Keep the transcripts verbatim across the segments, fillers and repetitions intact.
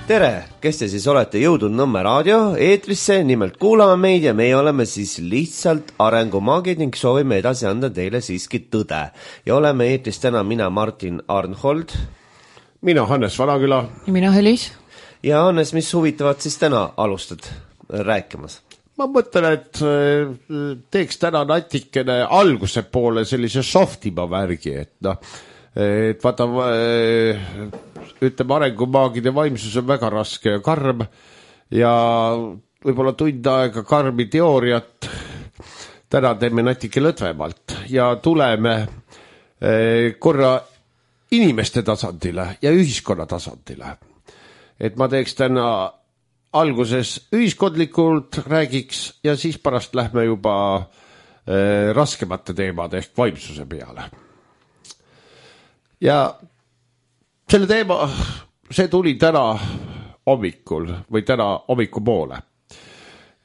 Tere, kes te siis olete jõudnud Nõmme raadio eetrisse, nimelt kuulame meid ja meie oleme siis lihtsalt arengumaagid ning soovime edasi anda teile siiski tõde. Ja oleme eetris täna mina Martin Arnhold. Mina Hannes Vanaküla. Ja mina Helis. Ja Hannes, mis huvitavat siis täna alustad rääkimas? Ma mõtlen, et teeks täna natikene alguse poole sellise softima värgi, et noh, et vaata, ütleme, arengumaagide vaimsus on väga raske ja karm ja võib-olla tund aega karmi teooriat täna teeme natuke lõdvemalt ja tuleme korra inimeste tasandile ja ühiskonna tasandile. Et ma teeks täna alguses ühiskondlikult räägiks ja siis pärast lähme juba raskemate teemade ehk vaimsuse peale. Ja selle teema, see tuli täna hommikul või täna hommiku poole,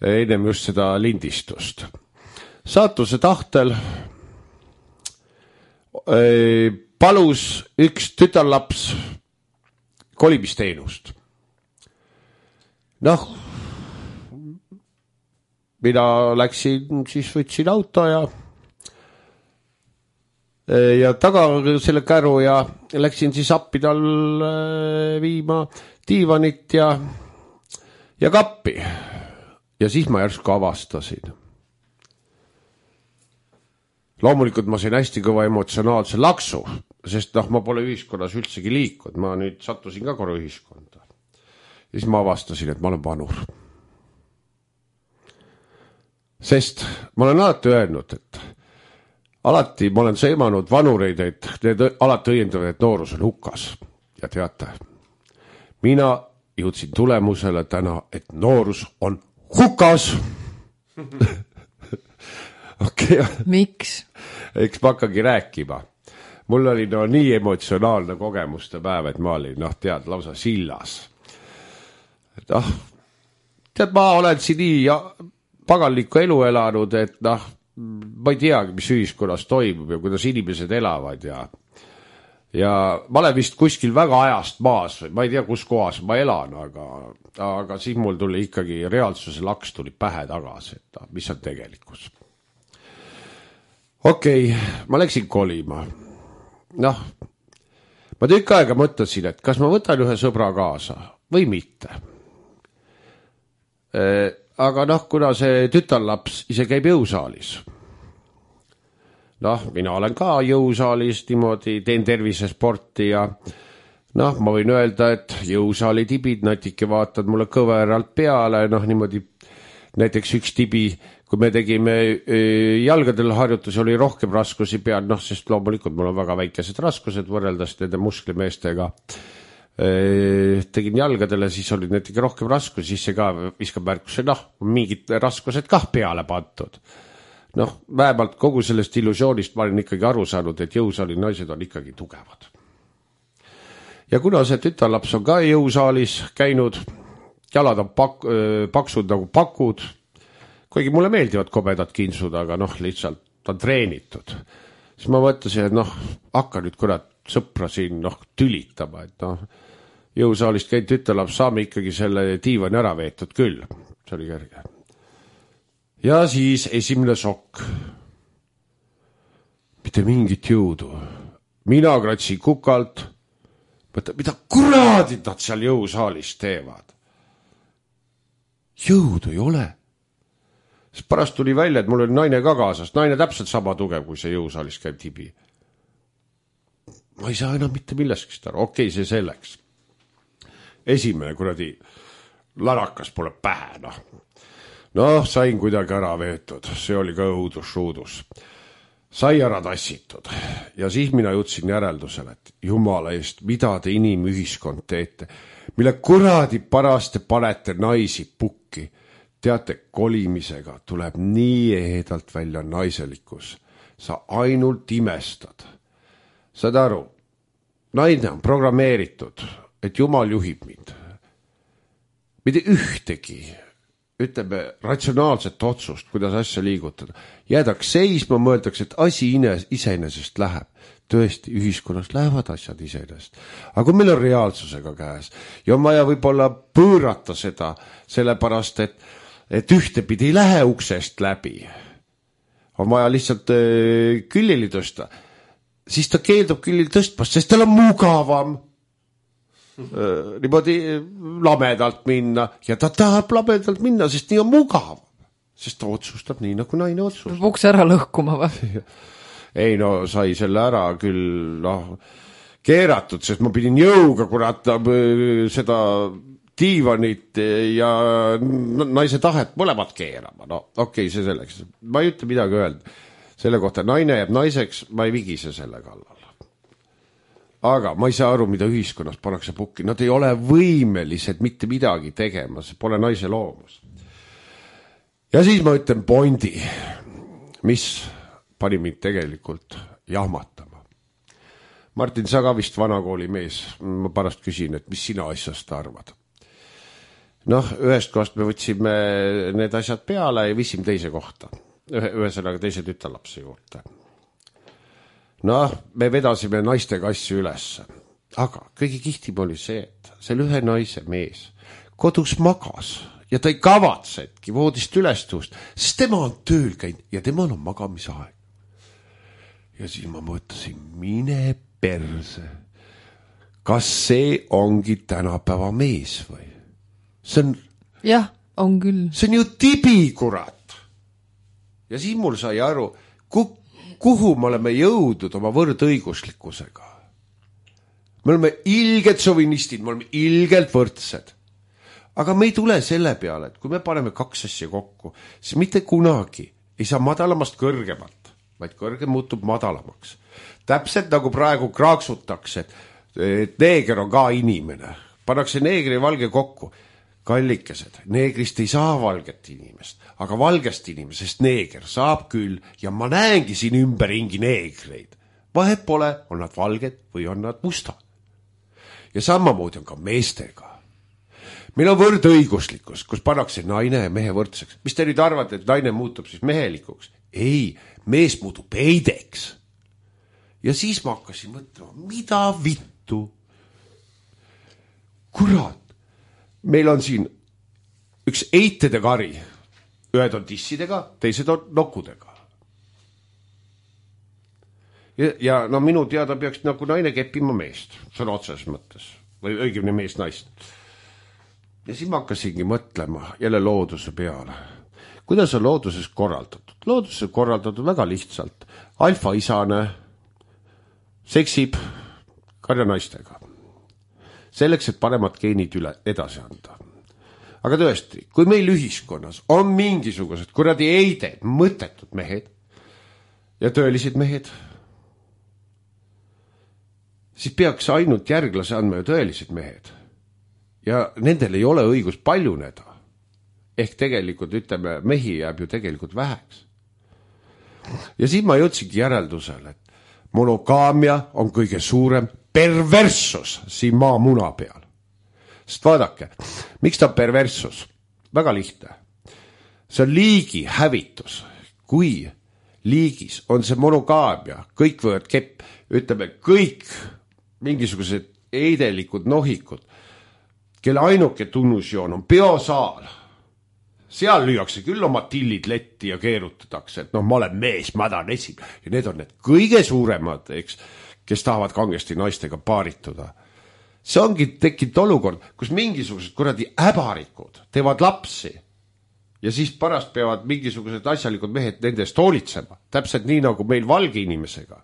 ennem just seda lindistust. Saatuse tahtel palus üks tütarlaps kolimisteenust. Noh, mina läksin, siis võtsin auto ja ja taga selle käru ja läksin siis appi tal viima diivanit ja, ja kappi. Ja siis ma järsku avastasin. Loomulikult ma sain hästi kõva emotsionaalse laksu, sest noh, ma pole ühiskonnas üldsegi liikunud. Ma nüüd sattusin ka korra ühiskonda. Ja siis ma avastasin, et ma olen vanur. Sest ma olen alati öelnud, et alati ma olen sõimanud vanureid, et need alati õiendavad, et noorus on hukas. Ja teate, mina jõudsin tulemusele täna, et noorus on hukas. Okay. Miks? Eks ma hakkagi rääkima. Mul oli no nii emotsionaalne kogemuste päev, et ma olin, noh, tead, lausa sillas. Et noh, tead, ma olen siin nii paganlikku elu elanud, et noh, ma ei teagi, mis ühiskonnas toimub ja kuidas inimesed elavad ja, ja ma olen vist kuskil väga ajast maas või ma ei tea, kus kohas ma elan, aga, aga siis mul tuli ikkagi reaalsuse laks tuli pähe tagasi, et mis on tegelikkus. Okei, okay, ma läksin kolima. Noh, ma tükk aega mõtlesin, et kas ma võtan ühe sõbra kaasa või mitte. E Aga noh, kuna see tütarlaps ise käib jõusaalis. Noh, mina olen ka jõusaalis niimoodi, teen tervisesporti ja noh, ma võin öelda, et jõusaali tibid natike vaatad mulle kõveralt peale, noh niimoodi näiteks üks tibi, kui me tegime jalgadel harjutusi, oli rohkem raskusi peal, noh, sest loomulikult mul on väga väikesed raskused võrreldes nende musklimeestega. Tegin jalgadele, siis oli näiteks rohkem raskus, siis see ka viskab märkuse, noh, mingid raskused kah peale pantud. Noh, vähemalt kogu sellest illusioonist ma olen ikkagi aru saanud, et jõusaali naised on ikkagi tugevad. Ja kuna see tütarlaps on ka jõusaalis käinud, jalad on pak paksud nagu pakud, kuigi mulle meeldivad kobedad kinsud, aga noh, lihtsalt on treenitud. Siis ma mõtlesin, et noh, hakka nüüd kurat sõpra siin noh, tülitama, et noh, jõusaalist käid tütarlaps, saame ikkagi selle diivani ära veetud küll. See oli kerge. Ja siis esimene šokk. Mitte mingit jõudu. Mina kratsin kukalt. Mõtlen, mida kuradid nad seal jõusaalis teevad? Jõudu ei ole. Siis pärast tuli välja, et mul oli naine ka kaasas. Naine täpselt sama tugev, kui see jõusaalis käib tibi. Ma ei saa enam mitte millestki aru. Okei, see selleks. Esimene kuradi larakas pole pähe, noh. Noh, sain kuidagi ära veetud. See oli ka õudus, õudus. Sai ära tassitud. Ja siis mina jõudsin järeldusele, et jumala eest, mida te inimühiskond teete, mille kuradi paraste panete naisi pukki. Teate, kolimisega tuleb nii ehedalt välja naiselikkus. Sa ainult imestad. Saad aru, naine on programmeeritud, et Jumal juhib mind. Mitte ühtegi ütleme, ratsionaalset otsust, kuidas asja liigutada. Jäädaks seisma, mõeldaks, et asi iseenesest läheb. Tõesti, ühiskonnas lähevad asjad iseenesest. Aga kui meil on reaalsusega käes ja on vaja võib-olla pöörata seda, sellepärast, et, et ühtepidi ei lähe uksest läbi, on vaja lihtsalt äh, küllili tõsta, siis ta keeldub küllili tõstmast, sest tal on mugavam äh, niimoodi lamedalt minna ja ta tahab lamedalt minna, sest nii on mugav, sest ta otsustab nii, nagu naine otsustab. Ukse ära lõhkuma või? Ei no, sai selle ära küll noh, keeratud, sest ma pidin jõuga kurat seda diivanit ja naise tahet mõlemad keerama. No okei, okay, see selleks. Ma ei ütle midagi öelda. Selle kohta naine jääb naiseks, ma ei vigise selle kallal. Aga ma ei saa aru, mida ühiskonnas pannakse pukki. Nad ei ole võimelised mitte midagi tegema, see pole naise loomus. Ja siis ma ütlen Bondi, mis pani mind tegelikult jahmatama. Martin, sa ka vist vanakooli mees. Ma pärast küsin, et mis sina asjast arvad. Noh, ühest kohast me võtsime need asjad peale ja viisime teise kohta. Ühesõnaga teise tütarlapse juurde. Noh, me vedasime naistega asju üles. Aga kõige kihtim oli see, et selle ühe naise mees kodus magas ja ta ei kavatsetki voodist üles tõust, sest tema on tööl käinud ja temal on magamisaeg. Ja siis ma mõtlesin, mine perse. Kas see ongi tänapäeva mees või? See on... Jah, on küll. See on ju tibi, kurat. Ja siis mul sai aru, kuhu me oleme jõudnud oma võrdõiguslikkusega. Me oleme ilgelt sovinistid, me oleme ilgelt võrdsed. Aga me ei tule selle peale, et kui me paneme kaks asja kokku, siis mitte kunagi ei saa madalamast kõrgemalt, vaid kõrgem muutub madalamaks. Täpselt nagu praegu kraaksutakse, et neeger on ka inimene. Pannakse neegri ja valge kokku. Kallikesed, neegrist ei saa valget inimest, aga valgest inimesest neeger saab küll ja ma näengi siin ümberringi neegreid. Vahet pole, on nad valged või on nad mustad. Ja samamoodi on ka meestega. Meil on võrdõiguslikkus, kus pannakse naine ja mehe võrdseks. Mis te nüüd arvate, et naine muutub siis mehelikuks? Ei, mees muutub heideks. Ja siis ma hakkasin mõtlema, mida vittu? Kurat, meil on siin üks eitede kari. Ühed on tissidega, teised on nokkudega. Ja, ja no minu teada peaks nagu naine keppima meest, sõna otseses mõttes. Või õigemini mees naist. Ja siis ma hakkasingi mõtlema jälle looduse peale. Kuidas on looduses korraldatud? Looduses on korraldatud väga lihtsalt. Alfa isane seksib karjanaistega. Selleks, et paremat geenid üle edasi anda. Aga tõesti, kui meil ühiskonnas on mingisugused kuradi eided, mõttetud mehed ja tõelised mehed, siis peaks ainult järglase andma ju tõelised mehed. Ja nendel ei ole õigus paljuneda. Ehk tegelikult, ütleme, mehi jääb ju tegelikult väheks. Ja siis ma jõudsingi järeldusele, et monogaamia on kõige suurem perversus siin maa muna peal. Sest vaadake, miks ta perversus? Väga lihtne. See on liigi hävitus. Kui liigis on see monogaamia, kõik võivad kepp, ütleme, kõik mingisugused eidelikud nohikud, kelle ainuke tunnusjoon on biosaal. Seal lüüakse küll oma tillid letti ja keerutatakse, et noh, ma olen mees, ma tahan esim. Ja need on need kõige suuremad, eks, kes tahavad kangesti naistega paarituda. See ongi tekkinud olukord, kus mingisugused kuradi äbarikud teevad lapsi ja siis pärast peavad mingisugused asjalikud mehed nendest hoolitsema. Täpselt nii nagu meil valge inimesega.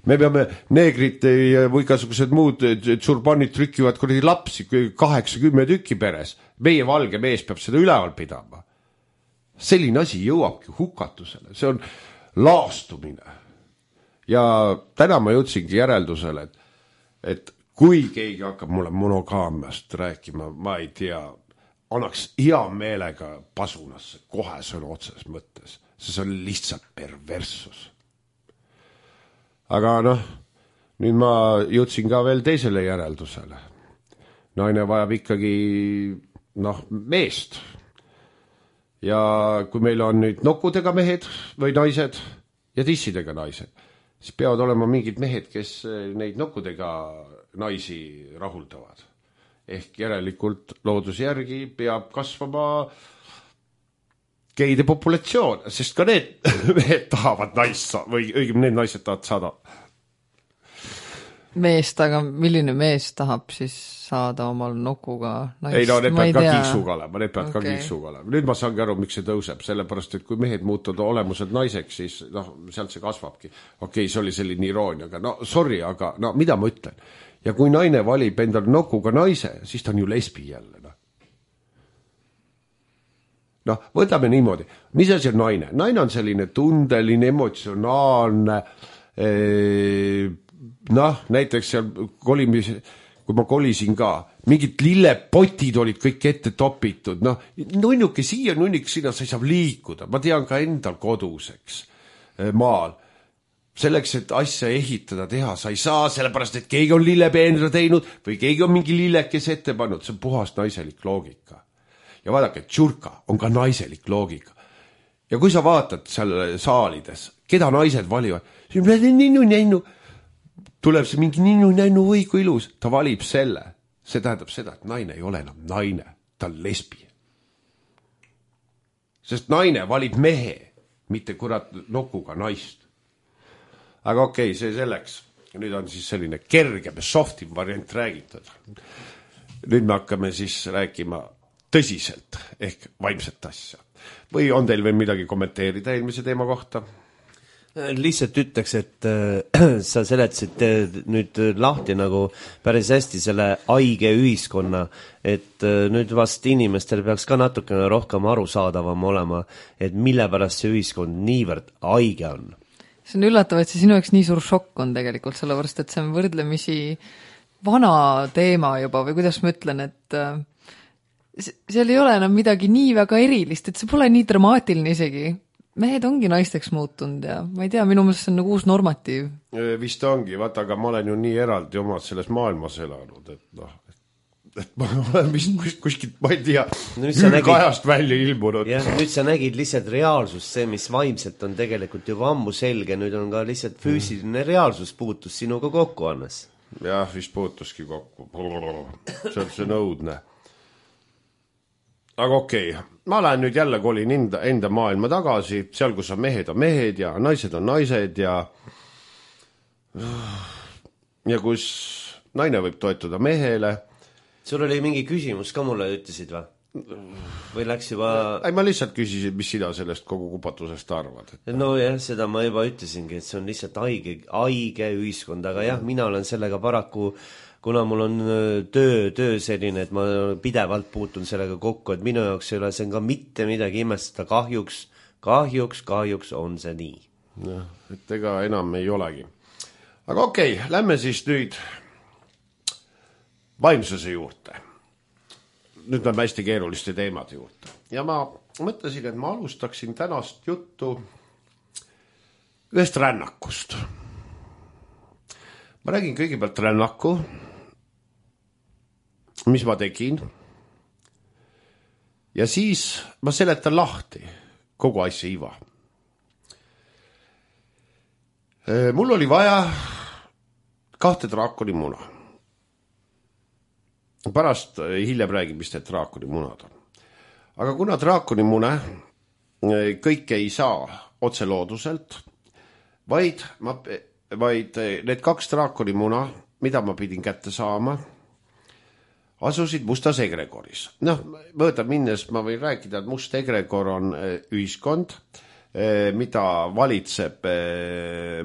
Me peame neegrid või igasugused muud tsurbanid trükivad kuradi lapsi kaheksakümmend tükki peres. Meie valge mees peab seda üleval pidama. Selline asi jõuabki hukatusele. See on laastumine. Ja täna ma jõudsingi järeldusele, et, et kui keegi hakkab mulle monogaamiast rääkima, ma ei tea, annaks hea meelega pasunasse kohe sõna otses mõttes. See on lihtsalt perversus. Aga noh, nüüd ma jõudsin ka veel teisele järeldusele. Naine vajab ikkagi noh, meest. ja kui meil on nüüd nokudega mehed või naised ja tissidega naised, siis peavad olema mingid mehed, kes neid nokkudega naisi rahuldavad. Ehk järelikult looduse järgi peab kasvama geide populatsioon, sest ka need mehed tahavad naist või õigem need naised tahavad saada meest, aga milline mees tahab siis saada omal nokuga naist? Ei no, need peavad ka kiiksuga olema, need peavad okay. ka kiiksuga olema. Nüüd ma saangi aru, miks see tõuseb, sellepärast, et kui mehed muutuvad olemused naiseks, siis noh, sealt see kasvabki. Okei, okay, see oli selline iroonia, aga no sorry, aga no mida ma ütlen? Ja kui naine valib endale nokuga naise, siis ta on ju lesbi jälle. No, no võtame niimoodi. Mis asi on naine? Naine on selline tundeline, emotsionaalne, ee, noh, näiteks seal kolimis, kui ma kolisin ka, mingid lillepotid olid kõik ette topitud, noh, nunnuke siia, nunnuke sinna, sa ei saa liikuda, ma tean ka endal koduseks maal, selleks, et asja ehitada, teha, sa ei saa, sellepärast, et keegi on lillepeenra teinud või keegi on mingi lillekes ette pannud, see on puhas naiselik loogika. Ja vaadake, tšurka on ka naiselik loogika. Ja kui sa vaatad seal saalides, keda naised valivad, siis on ninnu, ninnu, tuleb see mingi ninnu-nännu või kui ilus, ta valib selle. See tähendab seda, et naine ei ole enam naine, ta on lesbi. Sest naine valib mehe, mitte kurat nokuga naist. Aga okei, okay, see selleks. Nüüd on siis selline kergem, softim variant räägitud. Nüüd me hakkame siis rääkima tõsiselt ehk vaimset asja. Või on teil veel midagi kommenteerida eelmise teema kohta? Lihtsalt ütleks, et äh, sa seletasid äh, nüüd lahti nagu päris hästi selle haige ühiskonna, et äh, nüüd vast inimestel peaks ka natukene rohkem arusaadavam olema, et mille pärast see ühiskond niivõrd haige on. See on üllatav, et see sinu jaoks nii suur šokk on tegelikult, sellepärast, et see on võrdlemisi vana teema juba või kuidas ma ütlen, et äh, seal ei ole enam midagi nii väga erilist, et see pole nii dramaatiline isegi. Mehed ongi naisteks muutunud ja ma ei tea, minu mõttes on nagu uus normatiiv. Vist ongi, vaata, aga ma olen ju nii eraldi omad selles maailmas elanud, et noh, et ma olen vist kuskilt, ma ei tea, ülkajast välja ilmunud. Ja, nüüd sa nägid lihtsalt reaalsust, see, mis vaimselt on tegelikult juba ammu selge, nüüd on ka lihtsalt füüsiline reaalsus puutus sinuga kokku, Annes. Jah, vist puutuski kokku. See on see nõudne. Aga okei, okay. Ma lähen nüüd jälle kolin enda, enda maailma tagasi, seal kus on mehed on mehed ja naised on naised ja ja kus naine võib toetuda mehele. Sul oli mingi küsimus ka mulle ütlesid või? Või läks juba... Ei, ma lihtsalt küsisin, mis sina sellest kogu kupatusest arvad. Et... No jah, seda ma juba ütlesingi, et see on lihtsalt haige, haige ühiskond, aga jah, mina olen sellega paraku... kuna mul on töö, töö selline, et ma pidevalt puutun sellega kokku, et minu jaoks ei ole see ka mitte midagi imestada, kahjuks, kahjuks, kahjuks on see nii. Ja, et ega enam ei olegi. Aga okei, okay, lähme siis nüüd vaimsuse juurde. Nüüd lähme hästi keeruliste teemade juurde. Ja ma mõtlesin, et ma alustaksin tänast juttu ühest rännakust. Ma räägin kõigepealt rännaku, mis ma tegin. Ja siis ma seletan lahti kogu asja iva. Mul oli vaja kahte draakoni muna. Pärast hiljem räägin, mis need draakoni munad on. Aga kuna draakoni mune kõike ei saa otse looduselt, vaid, ma, vaid need kaks draakoni muna, mida ma pidin kätte saama, asusid Mustas egregoris. Noh, võõda minnes ma võin rääkida, et Must egregor on ühiskond, mida valitseb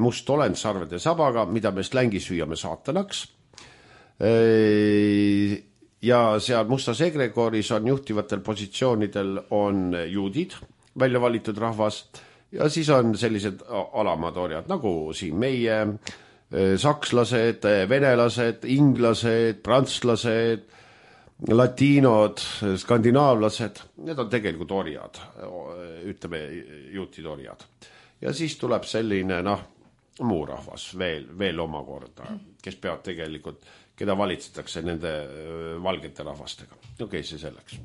must olend sarvede sabaga, mida me slängis hüüame saatanaks. Ja seal Mustas egregoris on juhtivatel positsioonidel on juudid, välja valitud rahvas, ja siis on sellised alamad orjad, nagu siin meie, sakslased, venelased, inglased, prantslased, latiinod, skandinaavlased, need on tegelikult orjad, ütleme juutid orjad. Ja siis tuleb selline, noh, muu rahvas veel, veel omakorda, kes peavad tegelikult, keda valitsetakse nende valgete rahvastega. Okei, okay, see selleks.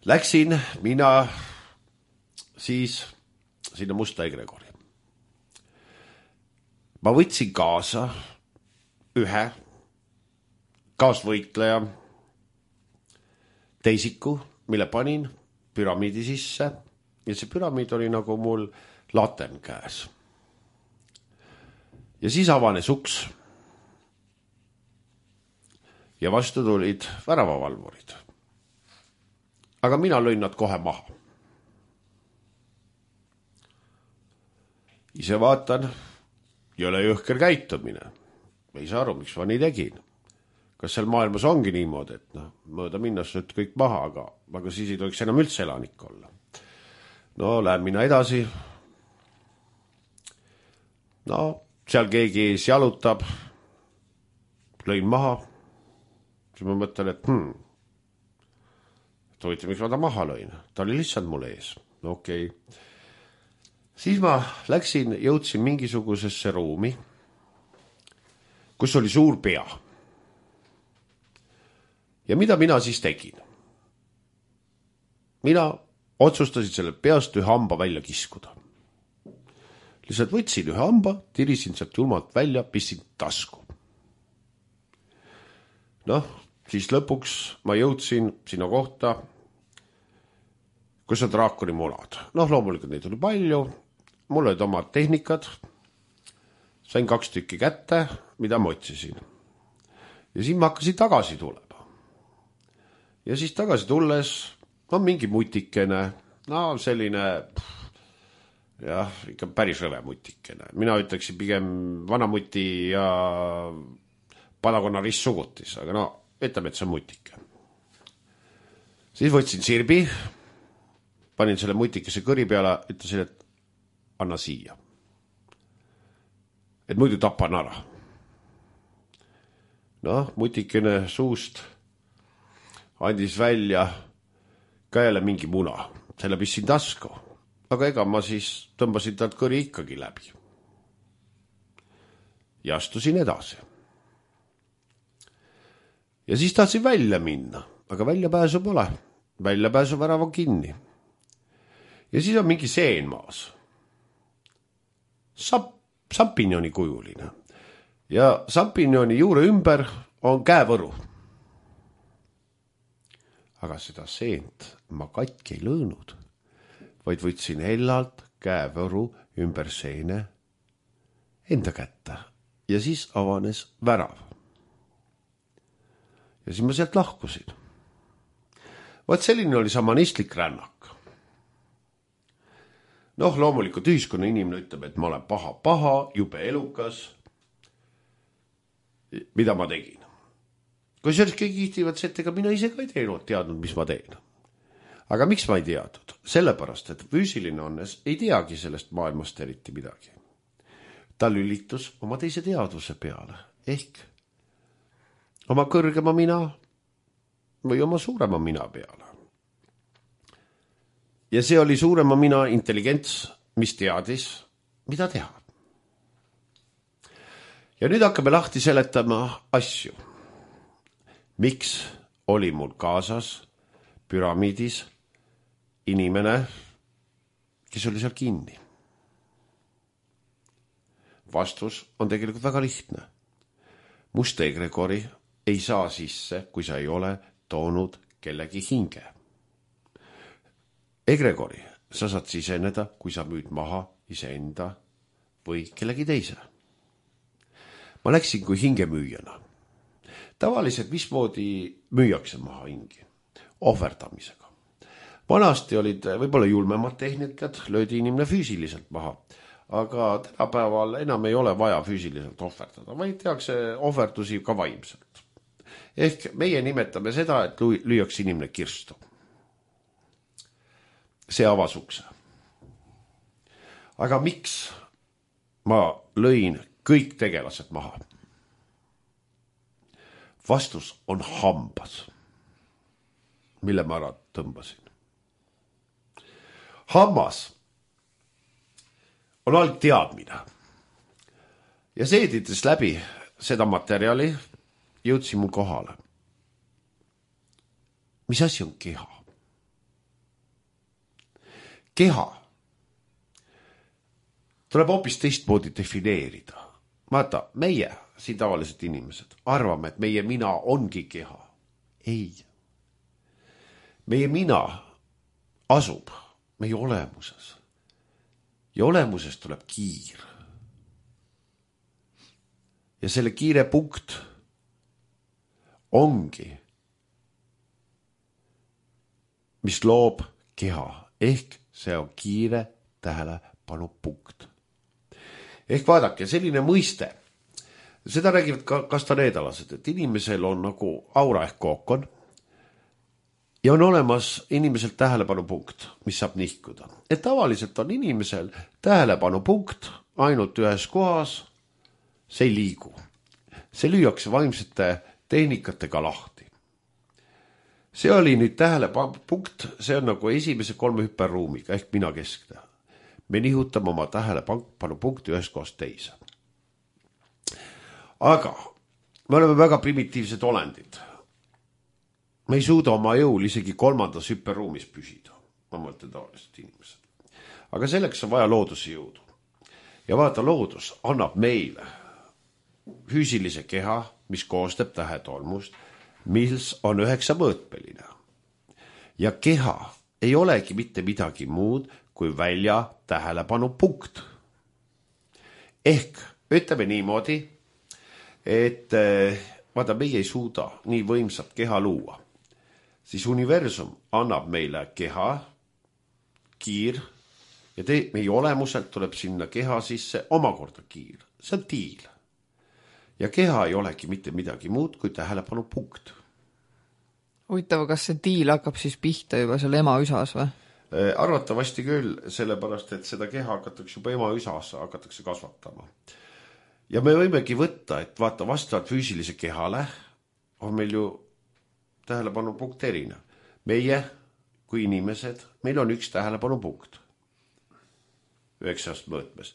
läksin mina siis sinna Musta Egregori. Ma võtsin kaasa ühe kaasvõitleja teisiku, mille panin püramiidi sisse ja see püramiid oli nagu mul latern käes. Ja siis avanes uks ja vastu tulid väravavalvurid. Aga mina lõin nad kohe maha. Ise vaatan, jõle jõhker käitumine. Ei saa aru, miks ma nii tegin. Kas seal maailmas ongi niimoodi, et no, mööda minnas nüüd kõik maha, aga, aga siis ei tohiks enam üldse elanik olla. No, lähen mina edasi. No, seal keegi ees jalutab. Lõin maha. Siis ma mõtlen, et hmm, et huvitav, miks ma ta maha lõin. Ta oli lihtsalt mul ees. No okei. Okay. Siis ma läksin, jõudsin mingisugusesse ruumi, kus oli suur pea. Ja mida mina siis tegin? Mina otsustasin selle peast ühe hamba välja kiskuda. Lihtsalt võtsin ühe hamba, tirisin sealt julmalt välja, pissin tasku. Noh, siis lõpuks ma jõudsin sinna kohta, kus on draakoni munad. Noh, loomulikult neid oli palju, mul olid omad tehnikad, sain kaks tükki kätte, mida ma otsisin. Ja siis ma hakkasin tagasi tulema. Ja siis tagasi tulles on mingi mutikene, no selline, jah, ikka päris rõve mutikene. Mina ütleksin pigem vanamuti ja padakonna ristsugutis, aga no, ütleme, et see on mutike. Siis võtsin sirbi, panin selle mutikese kõri peale, ütlesin, et anna siia. Et muidu tapan ära. Noh, mutikene suust andis välja ka jälle mingi muna. Selle pissin tasku. Aga ega ma siis tõmbasin talt kõri ikkagi läbi. Ja astusin edasi. Ja siis tahtsin välja minna. Aga välja pääsu pole. Välja pääsu värav on kinni. Ja siis on mingi seen maas. Sap, sampinjoni kujuline. Ja sampinjoni juure ümber on käevõru. Aga seda seent ma katki ei lõõnud, vaid võtsin hellalt käevõru ümber seene enda kätte ja siis avanes värav. Ja siis ma sealt lahkusin. Vaat selline oli samanistlik rännak. Noh, loomulikult ühiskonna inimene ütleb, et ma olen paha, paha, jube elukas. Mida ma tegin? Kui sellest kõik kihtivad, et ega mina ise ka ei teinud, teadnud, mis ma teen. Aga miks ma ei teadnud? Sellepärast, et füüsiline onnes ei teagi sellest maailmast eriti midagi. Ta lülitus oma teise teadvuse peale, ehk oma kõrgema mina või oma suurema mina peale. Ja see oli suurema mina intelligents, mis teadis, mida teha. Ja nüüd hakkame lahti seletama asju. Miks oli mul kaasas püramiidis inimene, kes oli seal kinni? Vastus on tegelikult väga lihtne. Musta Egregori ei saa sisse, kui sa ei ole toonud kellegi hinge. Egregori sa saad siseneda, kui sa müüd maha iseenda või kellegi teise. Ma läksin kui hingemüüjana. Tavaliselt mismoodi müüakse maha hingi? Ohverdamisega. Vanasti olid võib-olla julmemad tehnikad, löödi inimene füüsiliselt maha. Aga tänapäeval enam ei ole vaja füüsiliselt ohverdada, vaid tehakse ohverdusi ka vaimselt. Ehk meie nimetame seda, et lüüakse inimene kirstu. See avas ukse. Aga miks ma lõin kõik tegelased maha? Vastus on hambas, mille ma ära tõmbasin. Hammas on all teadmine. Ja seedides läbi seda materjali jõudsin mul kohale. Mis asi on keha? keha tuleb hoopis teistmoodi defineerida. Vaata, meie, siin tavaliselt inimesed, arvame, et meie mina ongi keha. Ei. Meie mina asub meie olemuses. Ja olemuses tuleb kiir. Ja selle kiire punkt ongi, mis loob keha, ehk see on kiire tähelepanu punkt. Ehk vaadake, selline mõiste, seda räägivad ka kastaneedalased, et inimesel on nagu aura ehk kookon ja on olemas inimesel tähelepanu punkt, mis saab nihkuda. Et tavaliselt on inimesel tähelepanu punkt ainult ühes kohas, see ei liigu. See lüüakse vaimsete tehnikatega lahti. See oli nüüd tähelepanu punkt, see on nagu esimese kolme hüperruumiga ehk mina keskne. Me nihutame oma tähelepanu punkti ühest kohast teise. Aga me oleme väga primitiivsed olendid. Me ei suuda oma jõul isegi kolmandas hüperruumis püsida. Ma mõtlen tavaliselt inimesed. Aga selleks on vaja looduse jõudu. Ja vaata, loodus annab meile füüsilise keha, mis koostab tähetolmust, mis on üheksa mõõtmeline. Ja keha ei olegi mitte midagi muud kui välja tähelepanu punkt. Ehk ütleme niimoodi, et vaata, meie ei suuda nii võimsat keha luua. Siis universum annab meile keha, kiir, ja te, meie olemuselt tuleb sinna keha sisse omakorda kiir. See on tiil. Ja keha ei olegi mitte midagi muud kui tähelepanu punkt. Huvitav, kas see tiil hakkab siis pihta juba seal ema üsas või? Arvatavasti küll, sellepärast, et seda keha hakatakse juba ema üsas hakatakse kasvatama. Ja me võimegi võtta, et vaata, vastavalt füüsilise kehale on meil ju tähelepanu punkt erine. Meie kui inimesed, meil on üks tähelepanu punkt. Üheksast mõõtmes.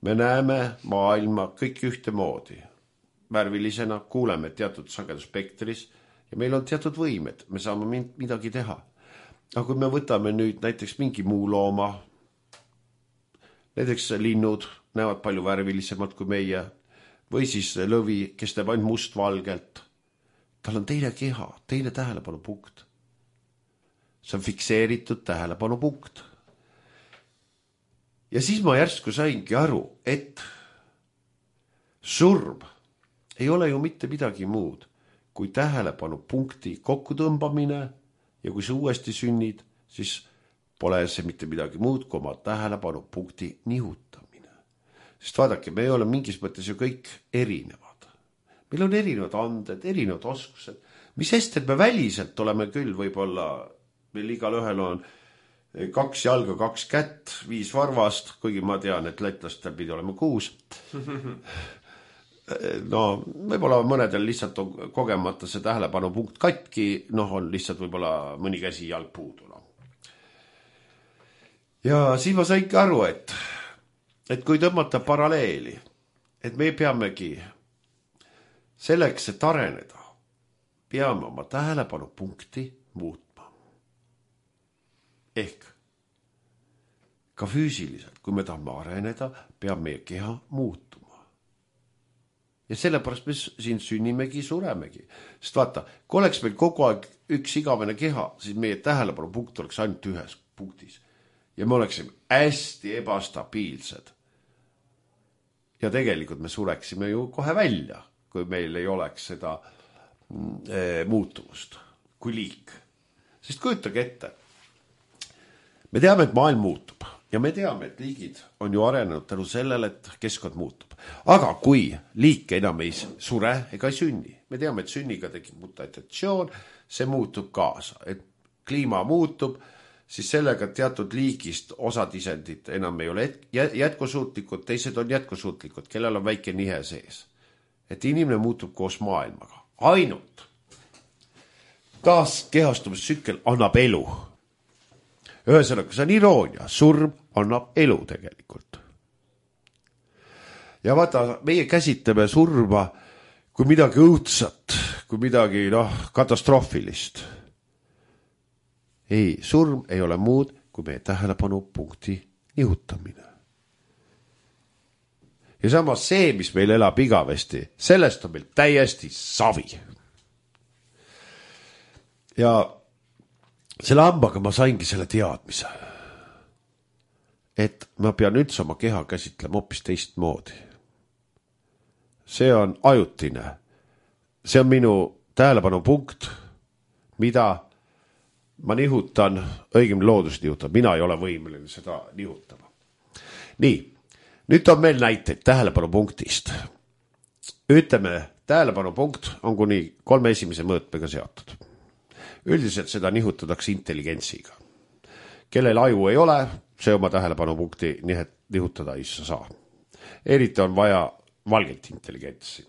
Me näeme maailma kõik ühte moodi. Värvilisena kuuleme teatud sageduspektris ja meil on teatud võimed. Me saame midagi teha. Aga kui me võtame nüüd näiteks mingi muu looma, näiteks linnud näevad palju värvilisemalt kui meie, või siis lõvi, kes teeb ainult must-valgelt, tal on teine keha, teine tähelepanu punkt. See on fikseeritud tähelepanu punkt. Ja siis ma järsku saingi aru, et surm ei ole ju mitte midagi muud kui tähelepanu punkti kokkutõmbamine. Ja kui sa uuesti sünnid, siis pole see mitte midagi muud kui oma tähelepanu punkti nihutamine. Sest vaadake, me ei ole mingis mõttes ju kõik erinevad. Meil on erinevad anded, erinevad oskused. Mis sest, et me väliselt oleme küll võib-olla, meil igal ühel on kaks jalga, kaks kätt, viis varvast, kuigi ma tean, et lätlastel pidi olema kuus. No, võib-olla mõnedel lihtsalt on kogemata see tähelepanu punkt katki, noh, on lihtsalt võib-olla mõni käsi jalg puudu. No. Ja siis ma saingi aru, et, et kui tõmmata paralleeli, et me peamegi selleks, et areneda, peame oma tähelepanu punkti muutma. Ehk ka füüsiliselt, kui me tahame areneda, peab meie keha muutuma. Ja sellepärast me siin sünnimegi, suremegi. Sest vaata, kui oleks meil kogu aeg üks igavene keha, siis meie tähelepanu punkt oleks ainult ühes punktis. Ja me oleksime hästi ebastabiilsed. Ja tegelikult me sureksime ju kohe välja, kui meil ei oleks seda e, muutuvust kui liik. Sest kujutage ette. Me teame, et maailm muutub. Ja me teame, et liigid on ju arenenud tänu sellele, et keskkond muutub. Aga kui liik enam ei sure ega ei sünni, me teame, et sünniga tekib mutatsioon, see muutub kaasa. Et kliima muutub, siis sellega teatud liigist osad isendid enam ei ole jätkusuutlikud, teised on jätkusuutlikud, kellel on väike nihe sees. Et inimene muutub koos maailmaga. Ainult taas kehastumistsükkel annab elu. Ühesõnaga, see on iroonia, surm annab elu tegelikult. Ja vaata, meie käsitleme surma kui midagi õudsat, kui midagi noh, katastroofilist. Ei, surm ei ole muud kui meie tähelepanupunkti nihutamine. Ja samas see, mis meil elab igavesti, sellest on meil täiesti savi. Ja selle hambaga ma saingi selle teadmise, et ma pean üldse oma keha käsitlema hoopis teistmoodi. See on ajutine. See on minu tähelepanupunkt, mida ma nihutan, õigem loodus nihutan. Mina ei ole võimeline seda nihutama. Nii, nüüd on meil näiteid tähelepanupunktist. Ütleme, tähelepanupunkt on kuni kolme esimese mõõtmega seotud. Üldiselt seda nihutatakse intelligentsiga. Kellel aju ei ole, see oma tähelepanupunkti nihutada ei saa. Eriti on vaja valget intelligentsi.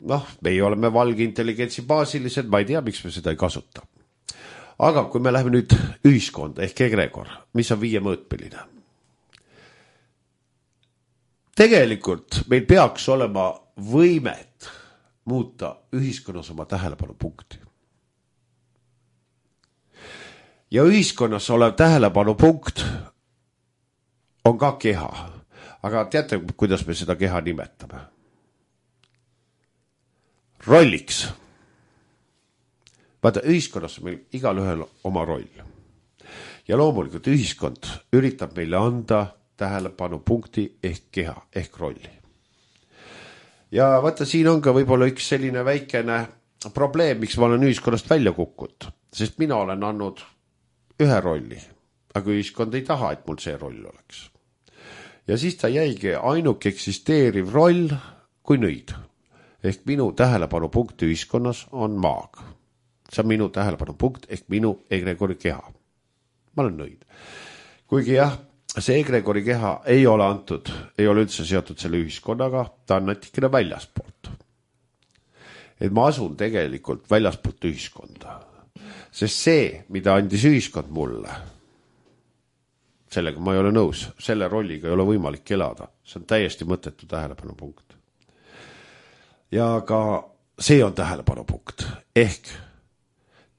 Noh, meie oleme valge intelligentsi baasilised, ma ei tea, miks me seda ei kasuta. Aga kui me läheme nüüd ühiskonda ehk egregor, mis on viie mõõtmeline. Tegelikult meil peaks olema võimet muuta ühiskonnas oma tähelepanupunkti. Ja ühiskonnas olev tähelepanupunkt on ka keha. Aga teate, kuidas me seda keha nimetame? Rolliks. Vaata, ühiskonnas on meil igal ühel oma roll. Ja loomulikult ühiskond üritab meile anda tähelepanupunkti ehk keha, ehk rolli. Ja vaata, siin on ka võib-olla üks selline väikene probleem, miks ma olen ühiskonnast välja kukkunud. Sest mina olen andnud ühe rolli, aga ühiskond ei taha, et mul see roll oleks. Ja siis ta jäigi ainuke eksisteeriv roll kui nõid. Ehk minu tähelepanupunkt ühiskonnas on maag. See on minu tähelepanupunkt ehk minu egregori keha. Ma olen nõid. Kuigi jah, see egregori keha ei ole antud, ei ole üldse seotud selle ühiskonnaga, ta on natikene väljaspoolt. Et ma asun tegelikult väljaspoolt ühiskonda. Sest see, mida andis ühiskond mulle, sellega ma ei ole nõus, selle rolliga ei ole võimalik elada. See on täiesti mõttetu tähelepanupunkt. Ja ka see on tähelepanupunkt. Ehk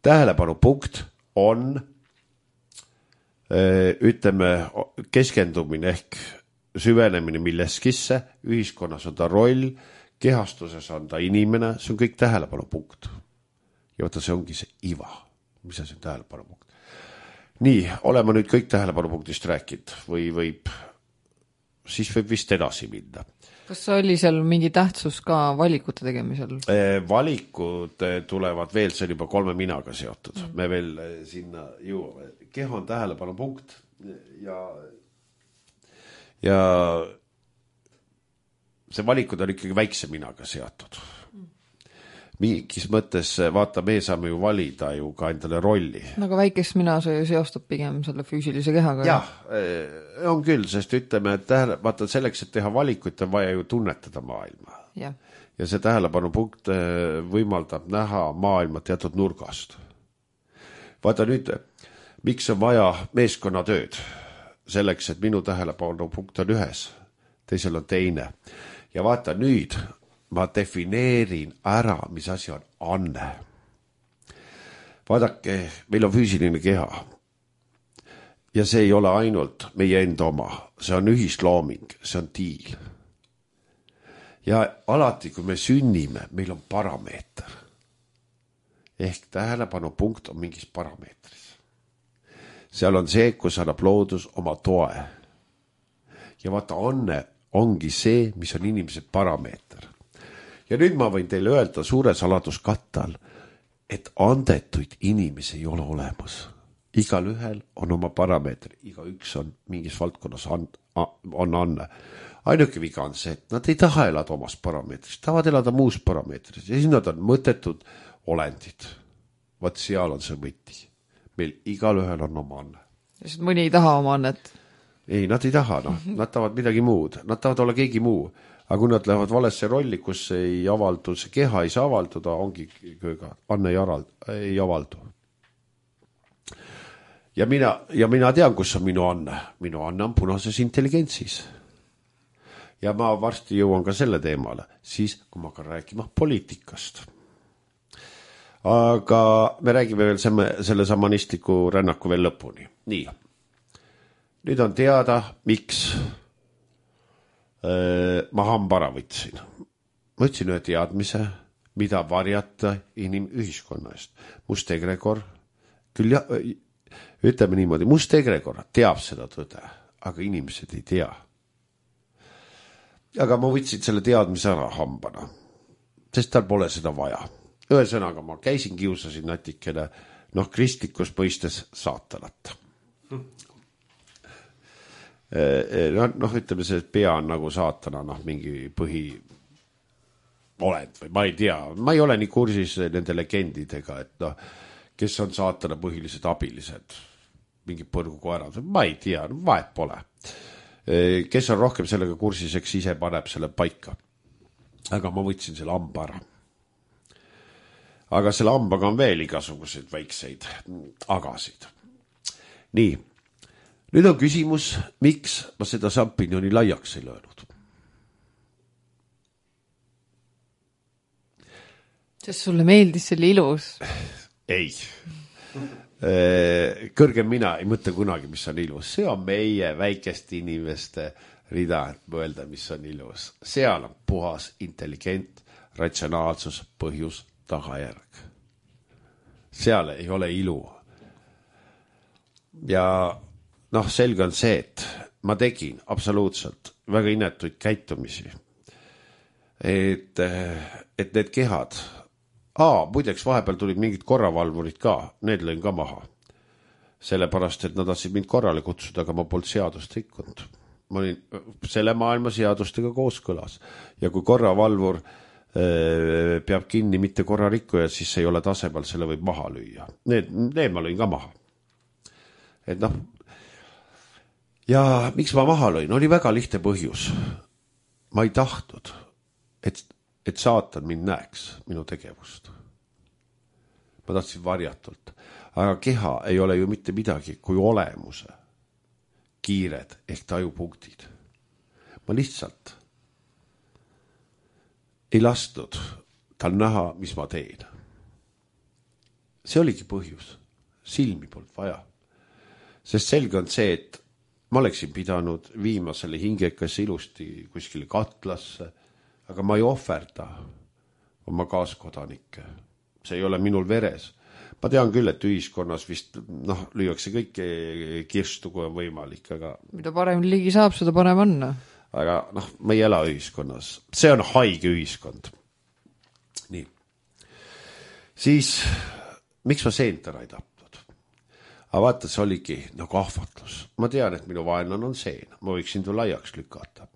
tähelepanupunkt on ütleme keskendumine ehk süvenemine milleskisse, ühiskonnas on ta roll, kehastuses on ta inimene, see on kõik tähelepanupunkt. Ja võtta, see ongi see iva, mis on see tähelepanupunkt. Nii, oleme nüüd kõik tähelepanupunktist rääkinud või võib, siis võib vist edasi minna. Kas oli seal mingi tähtsus ka valikute tegemisel? Valikud tulevad veel, see on juba kolme minaga seotud. Mm. Me veel sinna jõuame. Keha on tähelepanupunkt ja, ja see valikud on ikkagi väikse minaga seotud. Mm. Mingis mõttes, vaata, me saame ju valida ju ka endale rolli. Aga väikest mina see seostub pigem selle füüsilise kehaga. Jah, on küll, sest ütleme, et tähele, vaata selleks, et teha valikuid, on vaja ju tunnetada maailma. Ja, ja see tähelepanupunkt võimaldab näha maailma teatud nurgast. Vaata nüüd, miks on vaja meeskonnatööd? Selleks, et minu tähelepanupunkt on ühes, teisel on teine. Ja vaata nüüd, ma defineerin ära, mis asi on anne. Vaadake, meil on füüsiline keha. Ja see ei ole ainult meie enda oma. See on ühislooming, see on diil. Ja alati, kui me sünnime, meil on parameeter. Ehk tähelepanupunkt on mingis parameetris. Seal on see, kus annab loodus oma toe. Ja vaata, anne ongi see, mis on inimese parameeter. Ja nüüd ma võin teile öelda suure saladuskattal, et andetuid inimesi ei ole olemas. Igal ühel on oma parameetri, iga üks on mingis valdkonnas on, on anne. Ainuke viga on see, et nad ei taha elada omas parameetris, tahavad elada muus parameetris ja siis nad on mõttetud olendid. Vaat seal on see võti. Meil igal ühel on oma anne. Sest mõni ei taha oma annet? Ei, nad ei taha, no. Nad tahavad midagi muud, nad tahavad olla keegi muu. Aga kui nad lähevad valesse rolli, kus ei avaldu, see keha ei saa avalduda, ongi kööga, anne ei, aral, ei avaldu. Ja mina, ja mina tean, kus on minu anne. Minu anne on punases intelligentsis. Ja ma varsti jõuan ka selle teemale, siis kui ma hakkan rääkima poliitikast. aga me räägime veel selle, selle samanistliku rännaku veel lõpuni. Nii. Nüüd on teada, miks öö, ma hambara võtsin. Ma võtsin ühe teadmise, mida varjata inimühiskonna eest. Must egregor, küll ja, ütleme niimoodi, must egregor teab seda tõde, aga inimesed ei tea. Aga ma võtsin selle teadmise ära hambana, sest tal pole seda vaja. Ühesõnaga, ma käisin, kiusasin natikene, noh, kristlikus mõistes saatanat. Noh, ütleme, see pea on nagu saatana, noh, mingi põhi olend või ma ei tea, ma ei ole nii kursis nende legendidega, et noh, kes on saatana põhilised abilised, mingi põrgukoerad, ma ei tea, vahet pole. Kes on rohkem sellega kursiseks, ise paneb selle paika. Aga ma võtsin selle hamba ära. Aga selle hambaga on veel igasuguseid väikseid agasid. Nii, nüüd on küsimus, miks ma seda šampinjoni laiaks ei löönud. Sest sulle meeldis, see oli ilus. Ei. Kõrgem mina ei mõtle kunagi, mis on ilus. See on meie väikeste inimeste rida, et mõelda, mis on ilus. Seal on puhas, intelligent, ratsionaalsus, põhjus, tagajärg. Seal ei ole ilu. Ja noh, selge on see, et ma tegin absoluutselt väga inetuid käitumisi. Et, et need kehad, aa, muideks vahepeal tulid mingid korravalvurid ka, need lõin ka maha. Sellepärast, et nad tahtsid mind korrale kutsuda, aga ma polnud seadust rikkunud. Ma olin selle maailma seadustega kooskõlas. Ja kui korravalvur äh, peab kinni mitte korra rikkujad, siis ei ole tasemel, selle võib maha lüüa. Need, need ma lõin ka maha. Et noh, ja miks ma maha lõin? Oli väga lihtne põhjus. Ma ei tahtnud, et, et saatan mind näeks minu tegevust. Ma tahtsin varjatult. Aga keha ei ole ju mitte midagi kui olemuse kiired ehk tajupunktid. Ma lihtsalt ei lastud tal näha, mis ma teen. See oligi põhjus. Silmi polnud vaja. Sest selge on see, et ma oleksin pidanud viima selle hingekas ilusti kuskile katlasse, aga ma ei ohverda oma kaaskodanike. See ei ole minul veres. Ma tean küll, et ühiskonnas vist noh, lüüakse kõike kirstu, kui on võimalik, aga... Mida parem ligi saab, seda parem on. Aga noh, me ei ela ühiskonnas. See on haige ühiskond. Nii. Siis, miks ma seent ära ei tapnud? Aga vaata, see oligi nagu ahvatlus. Ma tean, et minu vaenlane on seen. Ma võiksin tu laiaks lükata.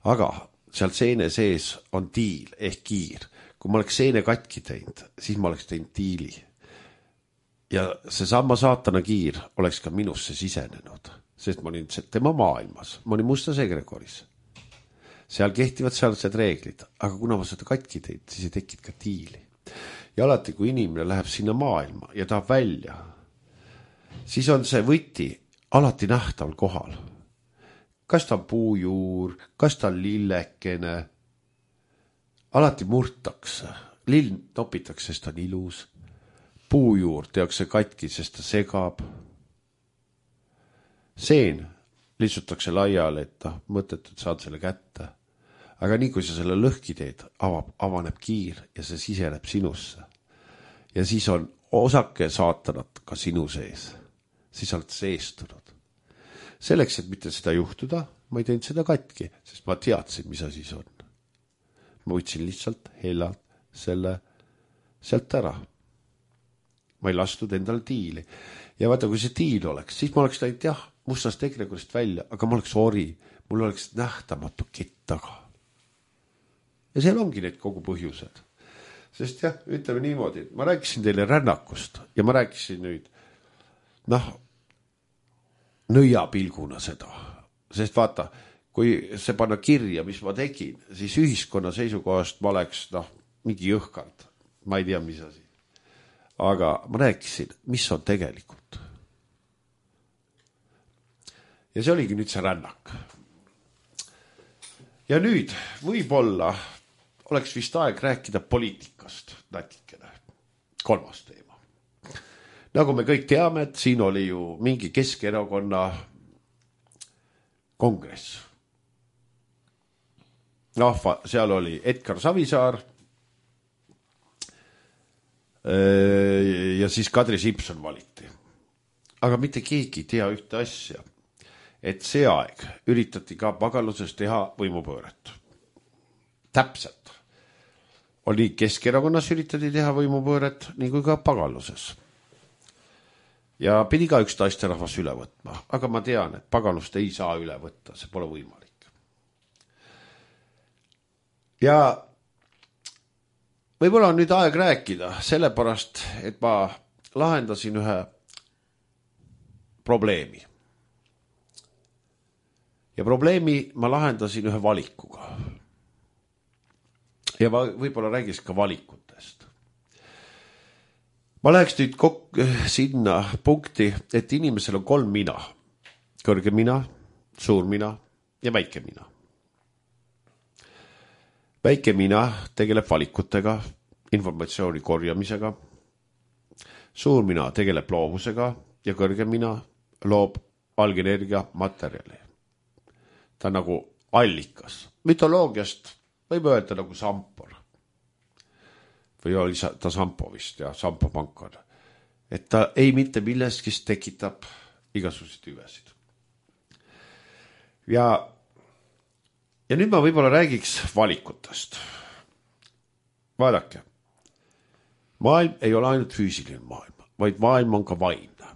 Aga seal seene sees on tiil ehk kiir. Kui ma oleks seene katki teinud, siis ma oleks teinud tiili. Ja see sama saatana kiir oleks ka minusse sisenenud, sest ma olin tema maailmas, ma olin mustas egregoris. Seal kehtivad sealsed reeglid, aga kuna ma seda katki teid, siis ei tekid ka tiili. Ja alati, kui inimene läheb sinna maailma ja tahab välja, siis on see võti alati nähtaval kohal. Kas ta on puujuur, kas ta on lillekene, alati murtakse, lill topitakse, sest ta on ilus. Puujuur tehakse katki, sest ta segab. Seen lihtsutakse laiale, et ta mõttetud saad selle kätte. Aga nii kui sa selle lõhki teed, avab, avaneb kiir ja see siseneb sinusse. Ja siis on osake saatanat ka sinu sees. Siis oled seestunud. Selleks, et mitte seda juhtuda, ma ei teinud seda katki, sest ma teadsin, mis asi on. Ma võtsin lihtsalt hellalt selle sealt ära. Ma ei lastud endal tiili. Ja vaata, kui see tiil oleks, siis ma oleks läinud jah, mustast egregorist välja, aga ma oleks ori, mul oleks nähtamatu kett taga. Ja seal ongi need kogu põhjused. Sest jah, ütleme niimoodi, ma rääkisin teile rännakust ja ma rääkisin nüüd, noh, nõia pilguna seda. Sest vaata, kui see panna kirja, mis ma tegin, siis ühiskonna seisukohast ma oleks, noh, mingi jõhkard. Ma ei tea, mis asi. Aga ma rääkisin, mis on tegelikult. Ja see oligi nüüd see rännak. Ja nüüd võib-olla oleks vist aeg rääkida poliitikast natikene. kolmas teema. Nagu me kõik teame, et siin oli ju mingi Keskerakonna kongress. noh, seal oli Edgar Savisaar ja siis Kadri Simson valiti. Aga mitte keegi ei tea ühte asja, et see aeg üritati ka pagaluses teha võimupööret. Täpselt. Oli Keskerakonnas üritati teha võimupööret, nii kui ka pagaluses. Ja pidi ka üks taisterahvas üle võtma, aga ma tean, et pagalust ei saa üle võtta, see pole võimalik. Ja võib-olla on nüüd aeg rääkida, sellepärast, et ma lahendasin ühe probleemi. Ja probleemi ma lahendasin ühe valikuga. Ja ma võib-olla räägis ka valikutest. Ma läheks nüüd kok- sinna punkti, et inimesel on kolm mina. Kõrge mina, suur mina ja väike mina. Väike mina tegeleb valikutega, informatsiooni korjamisega. Suur mina tegeleb loovusega ja kõrge mina loob algenergia materjali. Ta on nagu allikas. Mütoloogiast võib öelda nagu Sampor. Või oli ta Sampo vist, ja Sampo pankon. Et ta ei mitte millestki tekitab igasuguseid hüvesid. Ja, ja nüüd ma võib-olla räägiks valikutest. Vaadake, maailm ei ole ainult füüsiline maailm, vaid maailm on ka vaimne.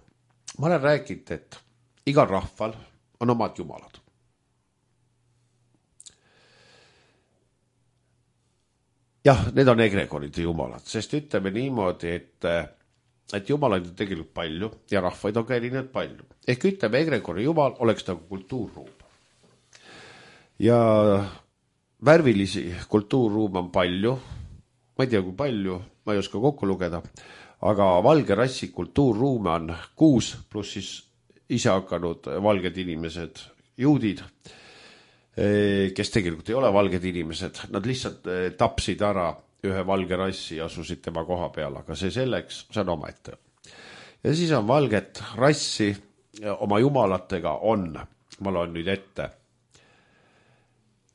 Ma olen rääkinud, et igal rahval on omad jumalad. Jah, need on egregoride jumalad, sest ütleme niimoodi, et, et jumalaid on tegelikult palju ja rahvaid on ka erinevad palju. Ehk ütleme, egregori jumal oleks nagu kultuurruum. Ja värvilisi kultuurruum on palju, ma ei tea kui palju, ma ei oska kokku lugeda, aga valge rassi kultuurruume on kuus, pluss siis ise hakanud valged inimesed, juudid, kes tegelikult ei ole valged inimesed, nad lihtsalt tapsid ära ühe valge rassi ja asusid tema koha peal, aga see selleks, see on oma ette. Ja siis on valget rassi oma jumalatega on, ma loen nüüd ette,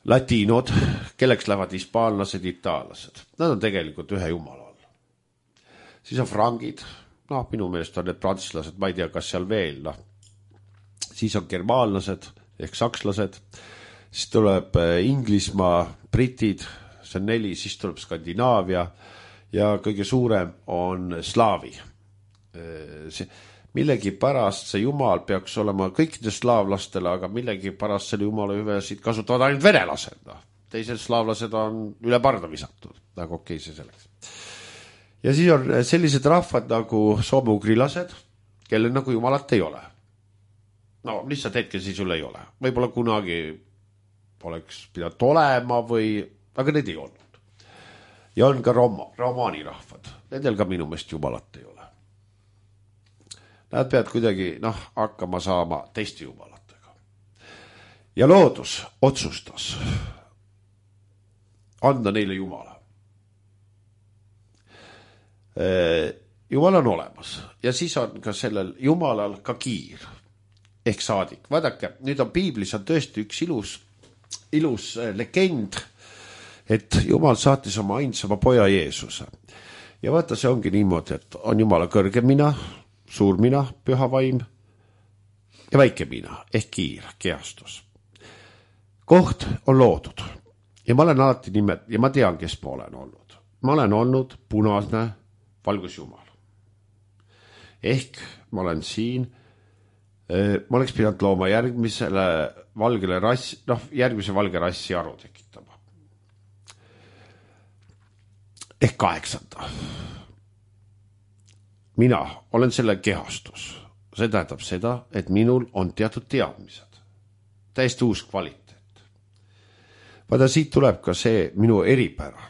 latiinod, kelleks lähevad hispaanlased, itaallased. Nad on tegelikult ühe jumala all. Siis on frangid, noh, minu meelest on need prantslased, ma ei tea, kas seal veel, noh. Siis on germaanlased ehk sakslased, siis tuleb Inglismaa, britid, see on neli, siis tuleb Skandinaavia ja kõige suurem on slaavi. See, millegi pärast see jumal peaks olema kõikide slaavlastele, aga millegi pärast selle jumala hüvesid kasutavad ainult venelased. No. Teised slaavlased on üle parda visatud, nagu okei see selleks. Ja siis on sellised rahvad nagu soome-ugrilased, kellel nagu jumalat ei ole. No lihtsalt hetkel siis sul ei ole. Võib-olla kunagi oleks pidanud olema või, aga need ei olnud. Ja on ka Roma, romaani rahvad. Nendel ka minu meelest jumalat ei ole. Nad peavad kuidagi, noh, hakkama saama teiste jumalatega. Ja loodus otsustas anda neile jumala. Jumal on olemas ja siis on ka sellel jumalal ka kiir ehk saadik. Vaadake, nüüd on piiblis on tõesti üks ilus ilus legend, et Jumal saatis oma ainsama poja Jeesuse. Ja vaata, see ongi niimoodi, et on Jumala kõrge mina, suur mina, püha vaim ja väike mina ehk kiir, kehastus. Koht on loodud ja ma olen alati nimet ja ma tean, kes ma olen olnud. Ma olen olnud punasne valgusjumal. Ehk ma olen siin ma oleks pidanud looma järgmisele valgele rassi, noh, järgmise valge rassi aru tekitama. Ehk kaheksanda. Mina olen selle kehastus. See tähendab seda, et minul on teatud teadmised. Täiesti uus kvaliteet. Vaada, siit tuleb ka see minu eripära,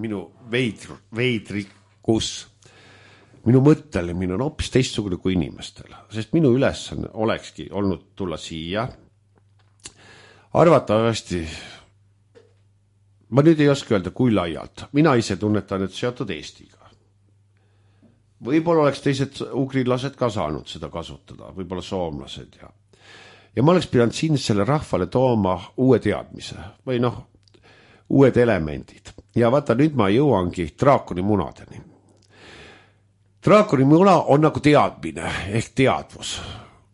minu veidr, veidrikus. Minu mõttelemine on hoopis teistsugune kui inimestel, sest minu ülesanne olekski olnud tulla siia. Arvatavasti, ma nüüd ei oska öelda, kui laialt. Mina ise tunnetan, et seotud Eestiga. võib-olla oleks teised ugrilased ka saanud seda kasutada, võib-olla soomlased ja ja ma oleks pidanud siin selle rahvale tooma uue teadmise või noh, uued elemendid. Ja vaata, nüüd ma jõuangi draakoni munadeni. Draakoni muna on nagu teadmine ehk teadvus,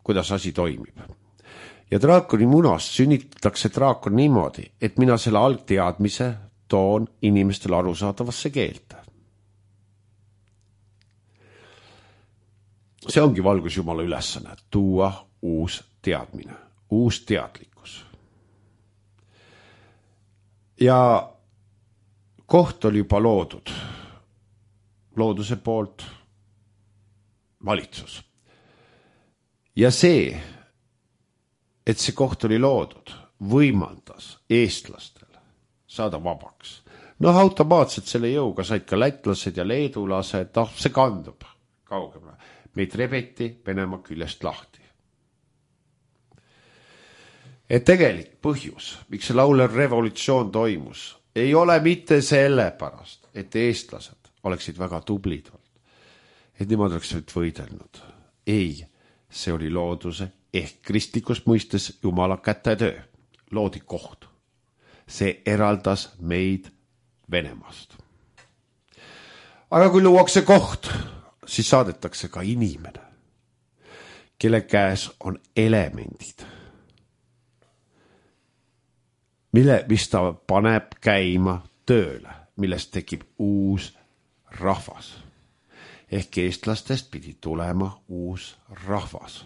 kuidas asi toimib. Ja draakoni munast sünnitatakse draakon niimoodi, et mina selle algteadmise toon inimestele arusaadavasse keelte. See ongi valgusjumala ülesanne, tuua uus teadmine, uus teadlikkus. Ja koht oli juba loodud, looduse poolt valitsus. Ja see, et see koht oli loodud, võimaldas eestlastel saada vabaks. Noh, automaatselt selle jõuga said ka lätlased ja leedulased, noh, see kandub kaugemale. Meid rebeti Venemaa küljest lahti. Et tegelik põhjus, miks see laulev revolutsioon toimus, ei ole mitte selle pärast, et eestlased oleksid väga tublid olnud, et nemad oleksid võidelnud. Ei, see oli looduse ehk kristlikus mõistes Jumala kätetöö, loodi koht. See eraldas meid Venemaast. Aga kui luuakse koht, siis saadetakse ka inimene, kelle käes on elemendid, mille, mis ta paneb käima tööle, millest tekib uus rahvas. Ehk eestlastest pidi tulema uus rahvas.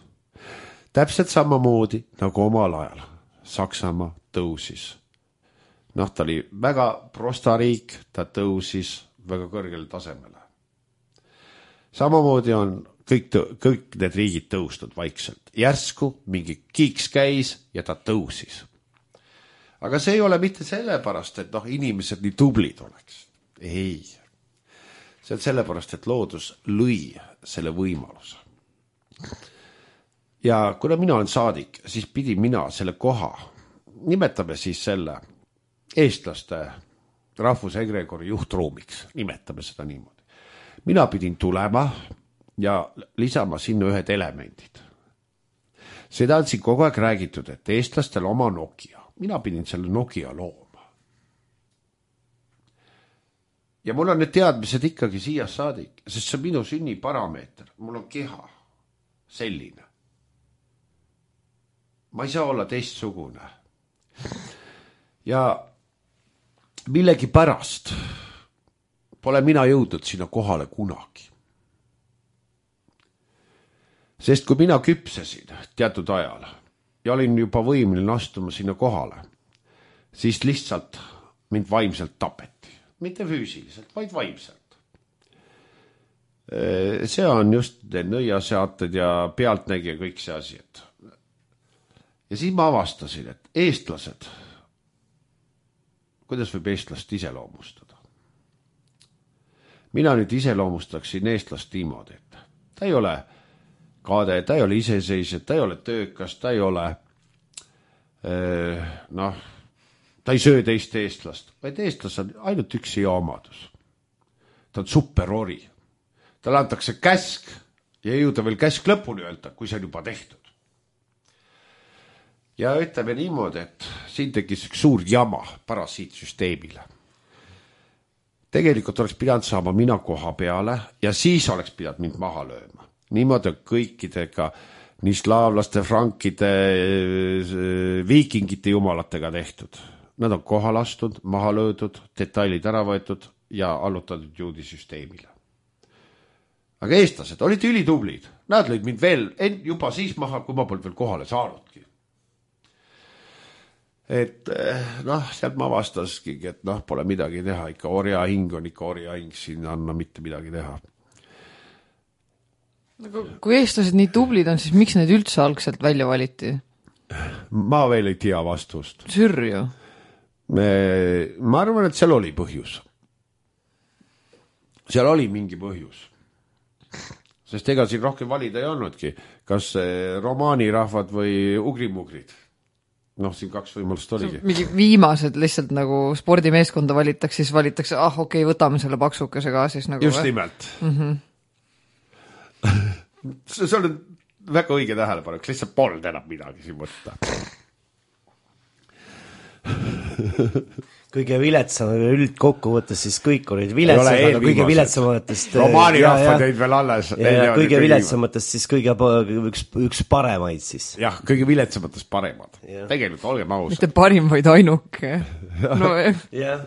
Täpselt samamoodi nagu omal ajal Saksamaa tõusis. Noh, ta oli väga prosta riik, ta tõusis väga kõrgele tasemele. Samamoodi on kõik, kõik need riigid tõustud vaikselt. Järsku mingi kiiks käis ja ta tõusis. Aga see ei ole mitte sellepärast, et noh, inimesed nii tublid oleks. Ei. See on sellepärast, et loodus lõi selle võimaluse. Ja kuna mina olen saadik, siis pidi mina selle koha, nimetame siis selle eestlaste rahvusegregori juhtruumiks, nimetame seda niimoodi. Mina pidin tulema ja lisama sinna ühed elemendid. Seda on siin kogu aeg räägitud, et eestlastel oma Nokia. Mina pidin selle Nokia looma. Ja mul on need teadmised ikkagi siia saadik, sest see on minu sünni parameeter. Mul on keha selline. Ma ei saa olla teistsugune. Ja millegi pärast pole mina jõudnud sinna kohale kunagi. Sest kui mina küpsesin teatud ajal ja olin juba võimeline astuma sinna kohale, siis lihtsalt mind vaimselt tapeti. Mitte füüsiliselt, vaid vaimselt. See on just nõiaseated ja pealtnägija kõik see asi. Ja siis ma avastasin, et eestlased, kuidas võib eestlast iseloomustada? Mina nüüd iseloomustaksin eestlast niimoodi, et ta ei ole kaade, ta ei ole iseseisev, ta ei ole töökas, ta ei ole, noh, ta ei söö teist eestlast, vaid eestlas on ainult üks hea omadus. Ta on superori. Talle antakse käsk ja ei jõuda veel käsk lõpuni öelda, kui see on juba tehtud. Ja ütleme niimoodi, et siin tekkis üks suur jama parasiitsüsteemile. Tegelikult oleks pidanud saama mina koha peale ja siis oleks pidanud mind maha lööma. Niimoodi on kõikidega, nii slaavlaste, frankide, viikingite jumalatega tehtud. Nad on kohal astud, maha löödud, detailid ära võetud ja allutatud juudisüsteemile. Aga eestlased olid ülitublid. Nad lõid mind veel juba siis maha, kui ma polnud veel kohale saanudki. Et noh, sealt ma vastaski, et noh, pole midagi teha. Ikka orja hing on ikka orja hing, siin anna mitte midagi teha. Kui eestlased nii tublid on, siis miks need üldse algselt välja valiti? Ma veel ei tea vastust. Sürju? Me, ma arvan, et seal oli põhjus. Seal oli mingi põhjus. Sest ega siin rohkem valida ei olnudki. Kas romaanirahvad või ugrimugrid? Noh, siin kaks võimalust oligi. Mingi viimased lihtsalt nagu spordimeeskonda valitaks, siis valitaks, ah okei, okay, võtame selle paksukese ka siis nagu. Just nimelt. Mm-hmm. see on väga õige tähelepanek, lihtsalt polnud enam midagi siin võtta. kõige viletsam üldkokkuvõttes, siis kõik olid viletsam, aga kõige viletsamatest romaani rahvad jäid veel alles. Kõige viletsamatest siis kõige üks, üks paremaid siis. Jah, kõige viletsamatest paremad. Ja. Tegelikult olgem ausad. Mitte parim, vaid ainuke. No, jah.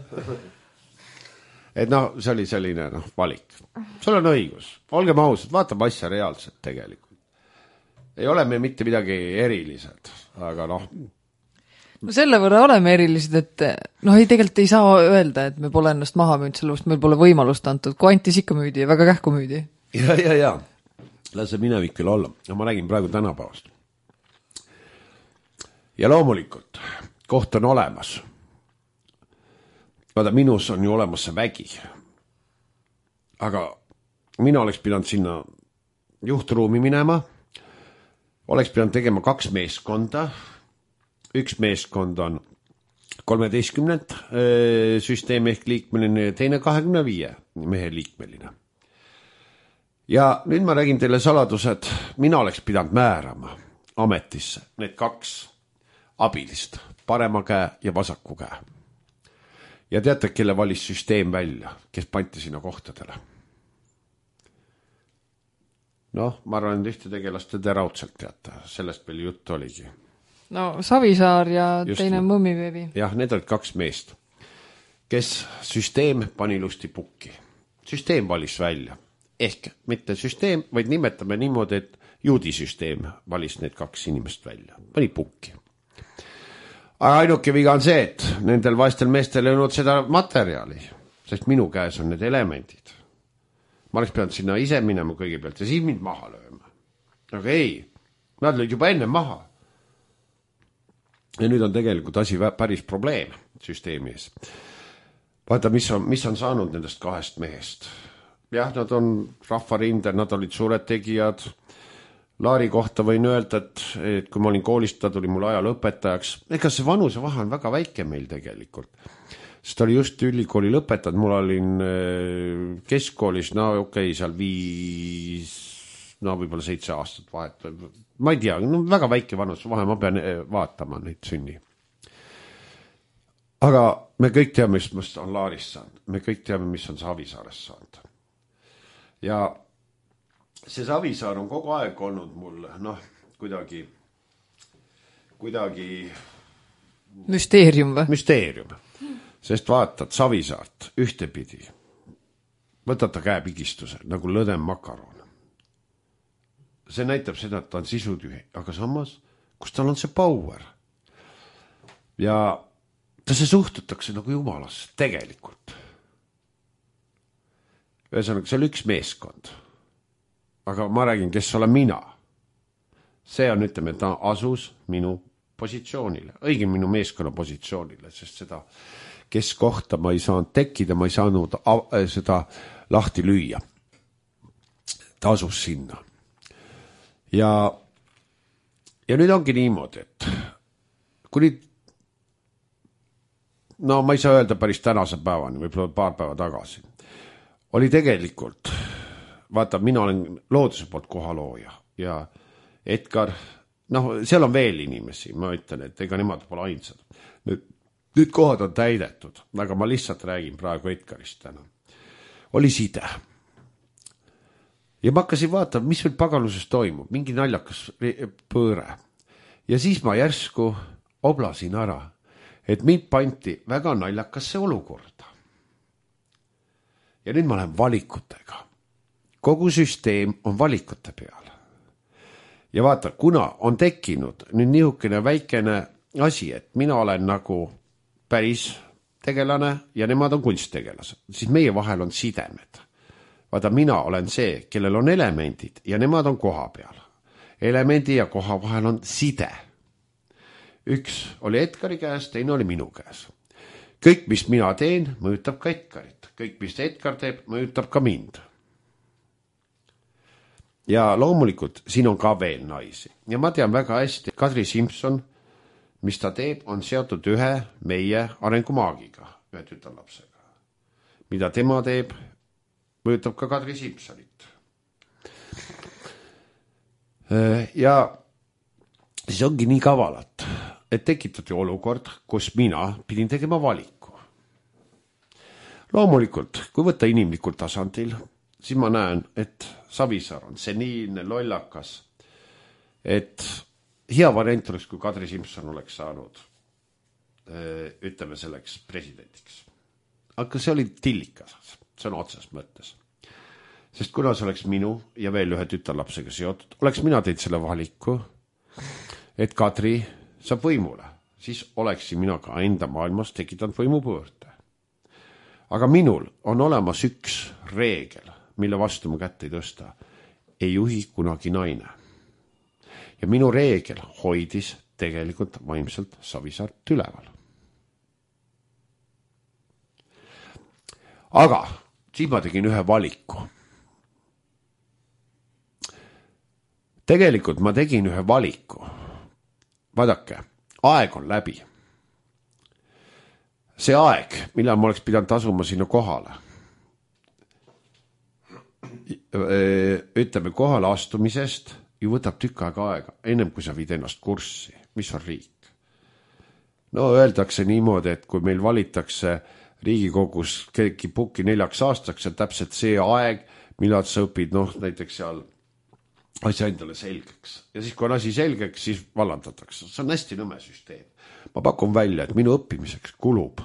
Et noh, see oli selline noh, valik. Sul on õigus. Olgem ausad, vaatame asja reaalselt tegelikult. Ei ole me mitte midagi erilised, aga noh, no selle võrra oleme erilised, et noh, ei tegelikult ei saa öelda, et me pole ennast maha müünud, sellepärast meil pole võimalust antud, kui antis ikka müüdi ja väga kähku müüdi. Ja, ja, ja. Lase minevik küll olla. Ja ma räägin praegu tänapäevast. Ja loomulikult, koht on olemas. Vaata, minus on ju olemas see vägi. Aga mina oleks pidanud sinna juhtruumi minema, oleks pidanud tegema kaks meeskonda. Üks meeskond on kolmeteistkümnend süsteemi ehk liikmeline ja teine kahekümne viie mehe liikmeline. Ja nüüd ma räägin teile saladused, mina oleks pidanud määrama ametisse need kaks abilist, parema käe ja vasaku käe. Ja teate, kelle valis süsteem välja, kes panti sinna kohtadele? Noh, ma arvan, et ühte tegelaste te raudselt teate, sellest veel jutt oligi. No Savisaar ja just teine Mõmmiveevi. Jah, need olid kaks meest, kes süsteem pani ilusti pukki. Süsteem valis välja. Ehk mitte süsteem, vaid nimetame niimoodi, et juudisüsteem valis need kaks inimest välja. Pani pukki. Aga ainuke viga on see, et nendel vaestel meestel ei olnud seda materjali, sest minu käes on need elemendid. Ma oleks pidanud sinna ise minema kõigepealt ja siis mind maha lööma. Aga ei, nad lõid juba enne maha. Ja nüüd on tegelikult asi päris probleem süsteemi ees. Vaata, mis on, mis on saanud nendest kahest mehest. Jah, nad on rahvarinde, nad olid suured tegijad. Laari kohta võin öelda, et, et kui ma olin koolist, ta tuli mul ajal õpetajaks. Ega see vanuse vahe on väga väike meil tegelikult. Sest ta oli just ülikooli lõpetanud, mul olin keskkoolis, no okei, okay, seal viis, no võib-olla seitse aastat vahet. Ma ei tea, no väga väike vanus vahe, ma pean vaatama neid sünni. Aga me kõik teame, mis on Laarist saanud. Me kõik teame, mis on Savisaarest saanud. Ja see Savisaar on kogu aeg olnud mul, noh, kuidagi, kuidagi... Müsteerium või? Müsteerium. Sest vaatad Savisaart ühtepidi. Võtad ta käepigistuse, nagu lõdem makaron. See näitab seda, et ta on sisutühi, aga samas, kus tal on see power. Ja ta see suhtutakse nagu jumalasse, tegelikult. Ühesõnaga, see on üks meeskond. Aga ma räägin, kes olen mina. See on, ütleme, ta asus minu positsioonile, õige minu meeskonna positsioonile, sest seda, kes kohta ma ei saanud tekkida, ma ei saanud seda lahti lüüa. Ta asus sinna. Ja, ja nüüd ongi niimoodi, et kuni, no ma ei saa öelda päris tänase päevani, võib-olla paar päeva tagasi, oli tegelikult, vaata, mina olen looduse poolt kohalooja ja Edgar, noh, seal on veel inimesi, ma ütlen, et ega nemad pole ainsad. Nüüd, nüüd kohad on täidetud, aga ma lihtsalt räägin praegu Edgarist täna. Oli side. Ja ma hakkasin vaatama, mis veel pagaluses toimub, mingi naljakas pööre. Ja siis ma järsku oblasin ära, et mind panti väga naljakasse olukorda. Ja nüüd ma lähen valikutega. Kogu süsteem on valikute peal. Ja vaata, kuna on tekkinud nüüd nihukene väikene asi, et mina olen nagu päris tegelane ja nemad on kunsttegelased, siis meie vahel on sidemed. Vaata, mina olen see, kellel on elemendid ja nemad on koha peal. Elemendi ja koha vahel on side. Üks oli Edgari käes, teine oli minu käes. Kõik, mis mina teen, mõjutab ka Edgarit. Kõik, mis Edgar teeb, mõjutab ka mind. Ja loomulikult siin on ka veel naisi. Ja ma tean väga hästi, Kadri Simson, mis ta teeb, on seotud ühe meie arengumaagiga, ühe tütarlapsega. Mida tema teeb, mõjutab ka Kadri Simsonit. Ja siis ongi nii kavalat, et tekitati olukord, kus mina pidin tegema valiku. Loomulikult, kui võtta inimlikul tasandil, siis ma näen, et Savisaar on seniilne, lollakas, et hea variant oleks, kui Kadri Simson oleks saanud, ütleme selleks presidendiks. Aga see oli tillikas, see on otsas mõttes. Sest kuna see oleks minu ja veel ühe tütarlapsega seotud, oleks mina teinud selle valiku, et Kadri saab võimule, siis oleksin mina ka enda maailmas tekitanud võimupõõrde. Aga minul on olemas üks reegel, mille vastu ma kätte ei tõsta. Ei juhi kunagi naine. Ja minu reegel hoidis tegelikult vaimselt Savisaart üleval. Aga siis ma tegin ühe valiku. Tegelikult ma tegin ühe valiku. Vaadake, aeg on läbi. See aeg, millal ma oleks pidanud tasuma sinna kohale. Ütleme, kohale astumisest ju võtab tükk aega aega, ennem kui sa viid ennast kurssi, mis on riik. No öeldakse niimoodi, et kui meil valitakse Riigikogus keegi pukki neljaks aastaks, on täpselt see aeg, millal sa õpid, noh, näiteks seal asja endale selgeks. Ja siis, kui on asi selgeks, siis vallandatakse. See on hästi nõme süsteem. Ma pakun välja, et minu õppimiseks kulub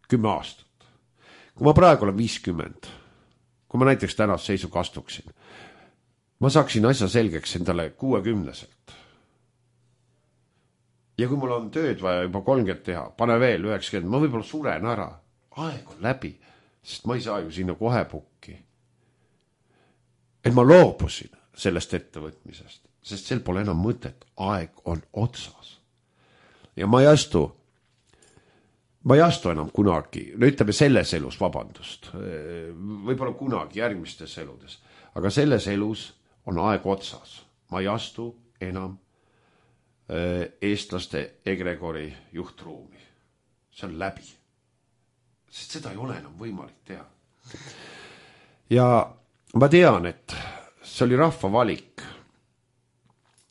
kümme aastat. Kui ma praegu olen viiskümmend, kui ma näiteks tänast seisuga astuksin, ma saaksin asja selgeks endale kuuekümneselt. Ja kui mul on tööd vaja juba kolmkümmend teha, pane veel üheksakümmend, ma võib-olla suren ära. Aeg on läbi, sest ma ei saa ju sinna kohe pukki. Et ma loobusin sellest ettevõtmisest, sest sel pole enam mõtet, aeg on otsas. Ja ma ei astu, ma ei astu enam kunagi, no ütleme selles elus, vabandust, võib-olla kunagi järgmistes eludes, aga selles elus on aeg otsas. Ma ei astu enam eestlaste egregori juhtruumi. See on läbi. Sest seda ei ole enam võimalik teha. Ja ma tean, et see oli rahva valik.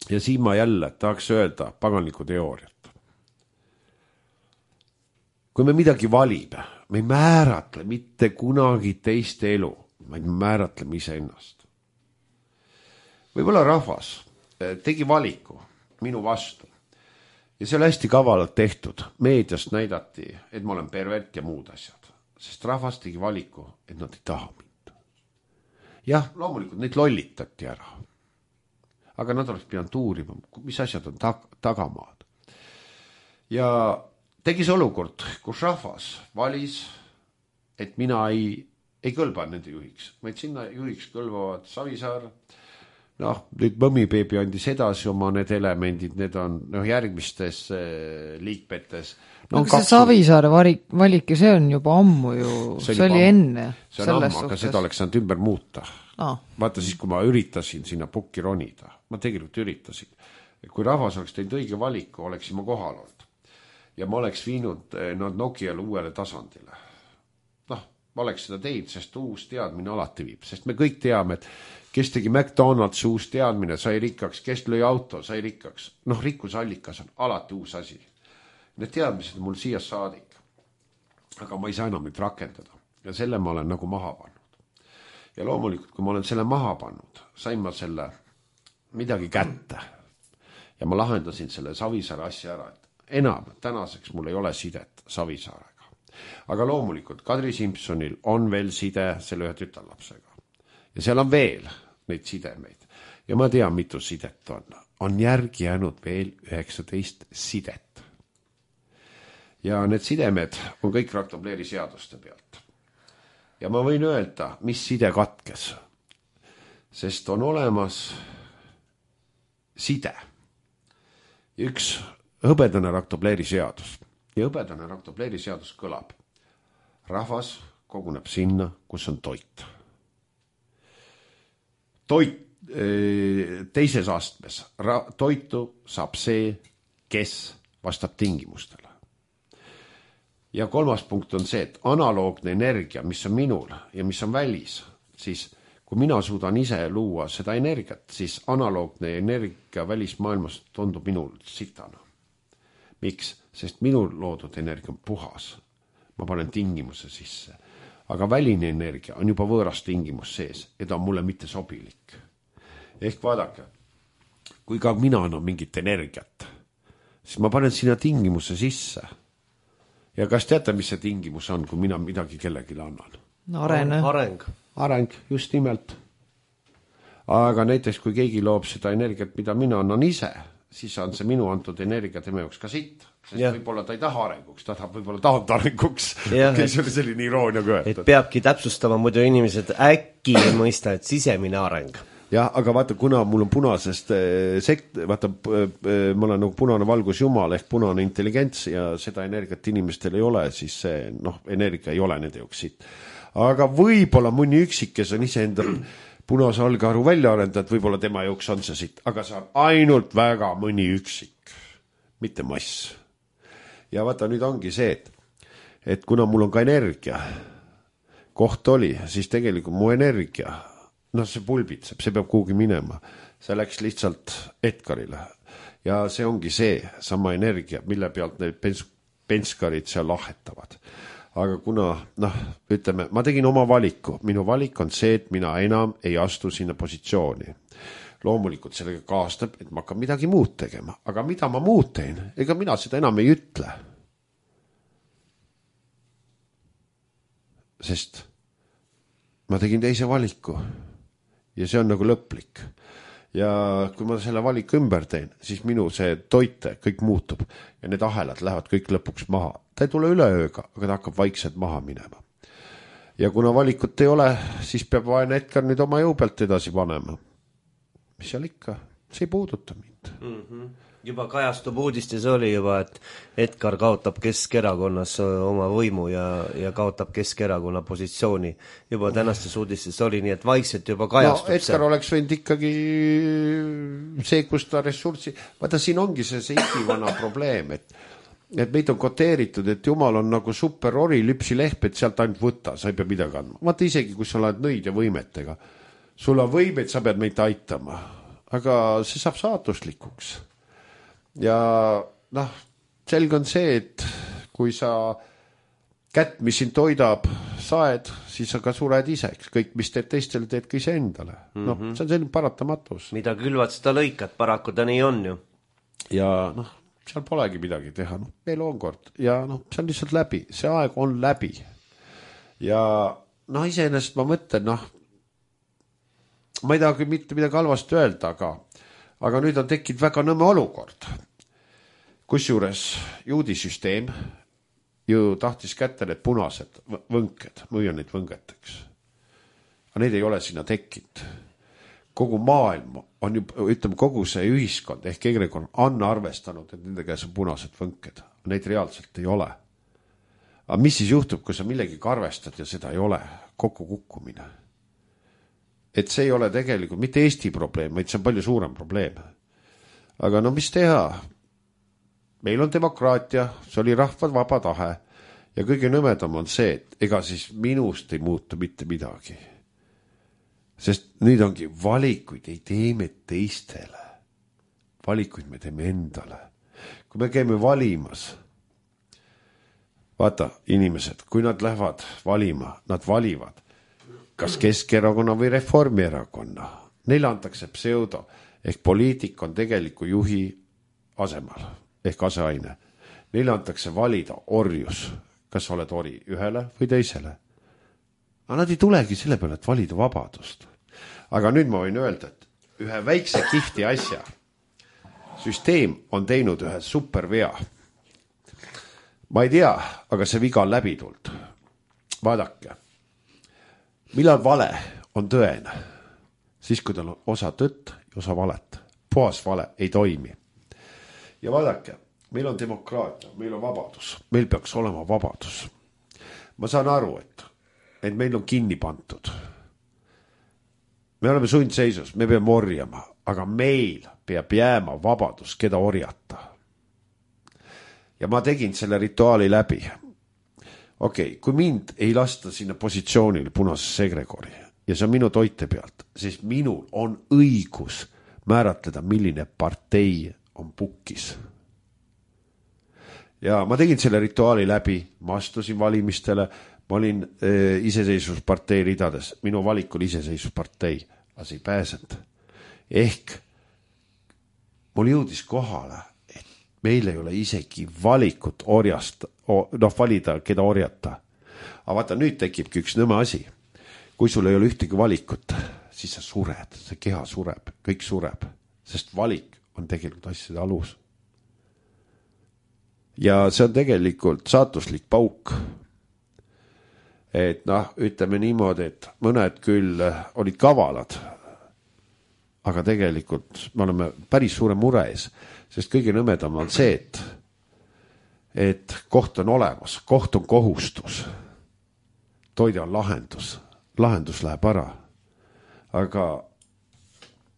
Ja siin ma jälle tahaks öelda paganliku teooriat. Kui me midagi valime, me ei määratle mitte kunagi teist elu, vaid määratleme ise ennast. Võib-olla rahvas tegi valiku minu vastu. Ja see oli hästi kavalalt tehtud. Meediast näidati, et ma olen pervert ja muud asjad. Sest rahvas tegi valiku, et nad ei taha mind. Jah, loomulikult neid lollitati ära. Aga nad oleks pidanud uurima, mis asjad on tag- tagamaad. Ja tegis olukord, kus rahvas valis, et mina ei, ei kõlba nende juhiks. Vaid sinna juhiks kõlbavad Savisaar. Noh, nüüd Mõmmibeebi andis edasi oma need elemendid, need on noh, järgmistes äh, liikmetes. No, aga see Savisaare valik, valik ja see on juba ammu ju, see, see oli enne. See on ammu, aga seda oleks saanud ümber muuta. Ah. Vaata siis, kui ma üritasin sinna pukki ronida, ma tegelikult üritasin. Kui rahvas oleks teinud õige valiku, oleksin ma kohal olnud. Ja ma oleks viinud nad Nokiale uuele tasandile. Noh, ma oleks seda teinud, sest uus teadmine alati viib. Sest me kõik teame, et kes tegi McDonald's uus teadmine, sai rikkaks, kes lõi auto, sai rikkaks. Noh, rikkusallikas on alati uus asi. Need teadmised on mul siia saadik. Aga ma ei saa enam nüüd rakendada. Ja selle ma olen nagu maha pannud. Ja loomulikult, kui ma olen selle maha pannud, sain ma selle midagi kätte. Ja ma lahendasin selle Savisaare asja ära, et enam tänaseks mul ei ole sidet Savisaarega. Aga loomulikult Kadri Simsonil on veel side selle ühe tütarlapsega. Ja seal on veel neid sidemeid. Ja ma tean, mitu sidet on. On järgi jäänud veel üheksateist sidet. Ja need sidemed on kõik raktobleeri seaduste pealt. Ja ma võin öelda, mis side katkes. Sest on olemas side. Üks hõbedane raktobleeri seadus. Ja hõbedane raktobleeri seadus kõlab. Rahvas koguneb sinna, kus on toit. Toit teises astmes. Toitu saab see, kes vastab tingimustele. Ja kolmas punkt on see, et analoogne energia, mis on minul ja mis on välis, siis kui mina suudan ise luua seda energiat, siis analoogne energia välismaailmas tundub minul sitana. Miks? Sest minul loodud energia on puhas. Ma panen tingimuse sisse. Aga väline energia on juba võõras tingimus sees ja ta on mulle mitte sobilik. Ehk vaadake, kui ka mina annan mingit energiat, siis ma panen sinna tingimuse sisse. Ja kas teate, mis see tingimus on, kui mina midagi kellegile annan? No, areng. Areng. Areng, just nimelt. Aga näiteks, kui keegi loob seda energiat, mida mina annan ise, siis on see minu antud energia tema jaoks ka siit. Sest ja. Võib-olla ta ei taha arenguks, ta tahab võib-olla tahab arenguks. Ja, okay, see oli selline iroonia köötud. Et peabki täpsustama muidu inimesed äkki mõista, et sisemine areng. Ja, aga vaata, kuna mul on punasest sekt, vaata, ma olen nagu punane valgus jumal ehk punane intelligents ja seda energiat inimestel ei ole, siis see noh, energia ei ole nende jaoks siit. Aga võib-olla mõni üksik, kes on ise enda punase algaru välja arendajad, võib-olla tema jaoks on see siit, aga see on ainult väga mõni üksik, mitte mass. Ja vaata, nüüd ongi see, et, et kuna mul on ka energia, koht oli, siis tegelikult mu energia, noh, see pulbitseb, see peab kuhugi minema. See läks lihtsalt Edgarile. Ja see ongi see sama energia, mille pealt need pens- penskarid seal lahetavad. Aga kuna, noh, ütleme, ma tegin oma valiku. Minu valik on see, et mina enam ei astu sinna positsiooni. Loomulikult sellega kaastab, et ma hakkan midagi muud tegema. Aga mida ma muud teen? Ega mina seda enam ei ütle. Sest ma tegin teise valiku. Ja see on nagu lõplik. Ja kui ma selle valiku ümber teen, siis minu see toite kõik muutub. Ja need ahelad lähevad kõik lõpuks maha. Ta ei tule üle ööga, aga ta hakkab vaikselt maha minema. Ja kuna valikut ei ole, siis peab vaene Edgar nüüd oma jõu pealt edasi panema. Mis seal ikka? See ei puuduta mind. Mm-hmm. Juba kajastub uudistes oli juba, et Edgar kaotab Keskerakonnas oma võimu ja, ja kaotab Keskerakonna positsiooni. Juba tänastes uudistes oli nii, et vaikselt juba kajastub no, Edgar see. Oleks võinud ikkagi see, kus ta ressurssi... Vaata, siin ongi see see ikivana probleem, et, et meid on koteeritud, et jumal on nagu super ori, lüpsi lehp, et sealt ainult võtta, sa ei pea midagi andma. Vaata isegi, kui sa oled nõid ja võimetega. Sul on võimed, sa pead meid aitama. Aga see saab saatuslikuks. Ja noh, selge on see, et kui sa kätt, mis sind toidab, saed, siis sa ka sured ise. Kõik, mis teed teistele, teed ka ise endale. Mm-hmm. Noh, see on selline paratamatus. Mida külvad, seda lõikad, paraku ta nii on ju. Ja noh, seal polegi midagi teha. No, meil on kord. Ja noh, see on lihtsalt läbi. See aeg on läbi. Ja noh, iseenesest ma mõtlen, noh, ma ei taha küll mitte midagi halvasti öelda, aga, aga nüüd on tekkinud väga nõmme olukord. Kusjuures juudisüsteem ju tahtis kätte need punased võnked, müüa neid võngeteks. Aga need ei ole sinna tekkinud. Kogu maailm on ju, ütleme, kogu see ühiskond ehk egrekond on arvestanud, et nende käes on punased võnked. Neid reaalselt ei ole. Aga mis siis juhtub, kui sa millegiga arvestad ja seda ei ole? Kokku kukkumine. Et see ei ole tegelikult mitte Eesti probleem, vaid see on palju suurem probleem. Aga no mis teha? Meil on demokraatia, see oli rahva vaba tahe ja kõige nõmedam on see, et ega siis minust ei muutu mitte midagi. Sest nüüd ongi valikuid ei teeme teistele. Valikuid me teeme endale. Kui me käime valimas, vaata inimesed, kui nad lähevad valima, nad valivad kas Keskerakonna või Reformierakonna. Neile antakse pseudo, ehk poliitik on tegeliku juhi asemal, ehk aseaine. Neile antakse valida orjus, kas oled ori ühele või teisele. Aga nad ei tulegi selle peale, et valida vabadust. Aga nüüd ma võin öelda, et ühe väikse kihvti asja süsteem on teinud ühe supervea. Ma ei tea, aga see viga on läbi tuld. Vaadake. Millal vale on tõene? Siis, kui tal on osa tõtt ja osa valet. Puhas vale ei toimi. Ja vaadake, meil on demokraatia, meil on vabadus. Meil peaks olema vabadus. Ma saan aru, et, et meil on kinni pantud. Me oleme sundseisus, me peame orjama, aga meil peab jääma vabadus, keda orjata. Ja ma tegin selle rituaali läbi. Okei, okay, kui mind ei lasta sinna positsioonile punasesse egregori ja see on minu toite pealt, siis minul on õigus määratleda, milline partei on pukkis. Ja ma tegin selle rituaali läbi, ma astusin valimistele, ma olin e, iseseisvuspartei ridades, minu valik oli iseseisvuspartei, aga see ei pääsenud. Ehk mul jõudis kohale, et meil ei ole isegi valikut orjast, noh valida, keda orjata. Aga vaata, nüüd tekibki üks nõme asi. Kui sul ei ole ühtegi valikut, siis sa sured, see keha sureb, kõik sureb, sest valik on tegelikult asjade alus. Ja see on tegelikult saatuslik pauk. Et noh, ütleme niimoodi, et mõned küll olid kavalad, aga tegelikult me oleme päris suure mure ees, sest kõige nõmedam on see, et, et koht on olemas, koht on kohustus, toide on lahendus, lahendus läheb ära, aga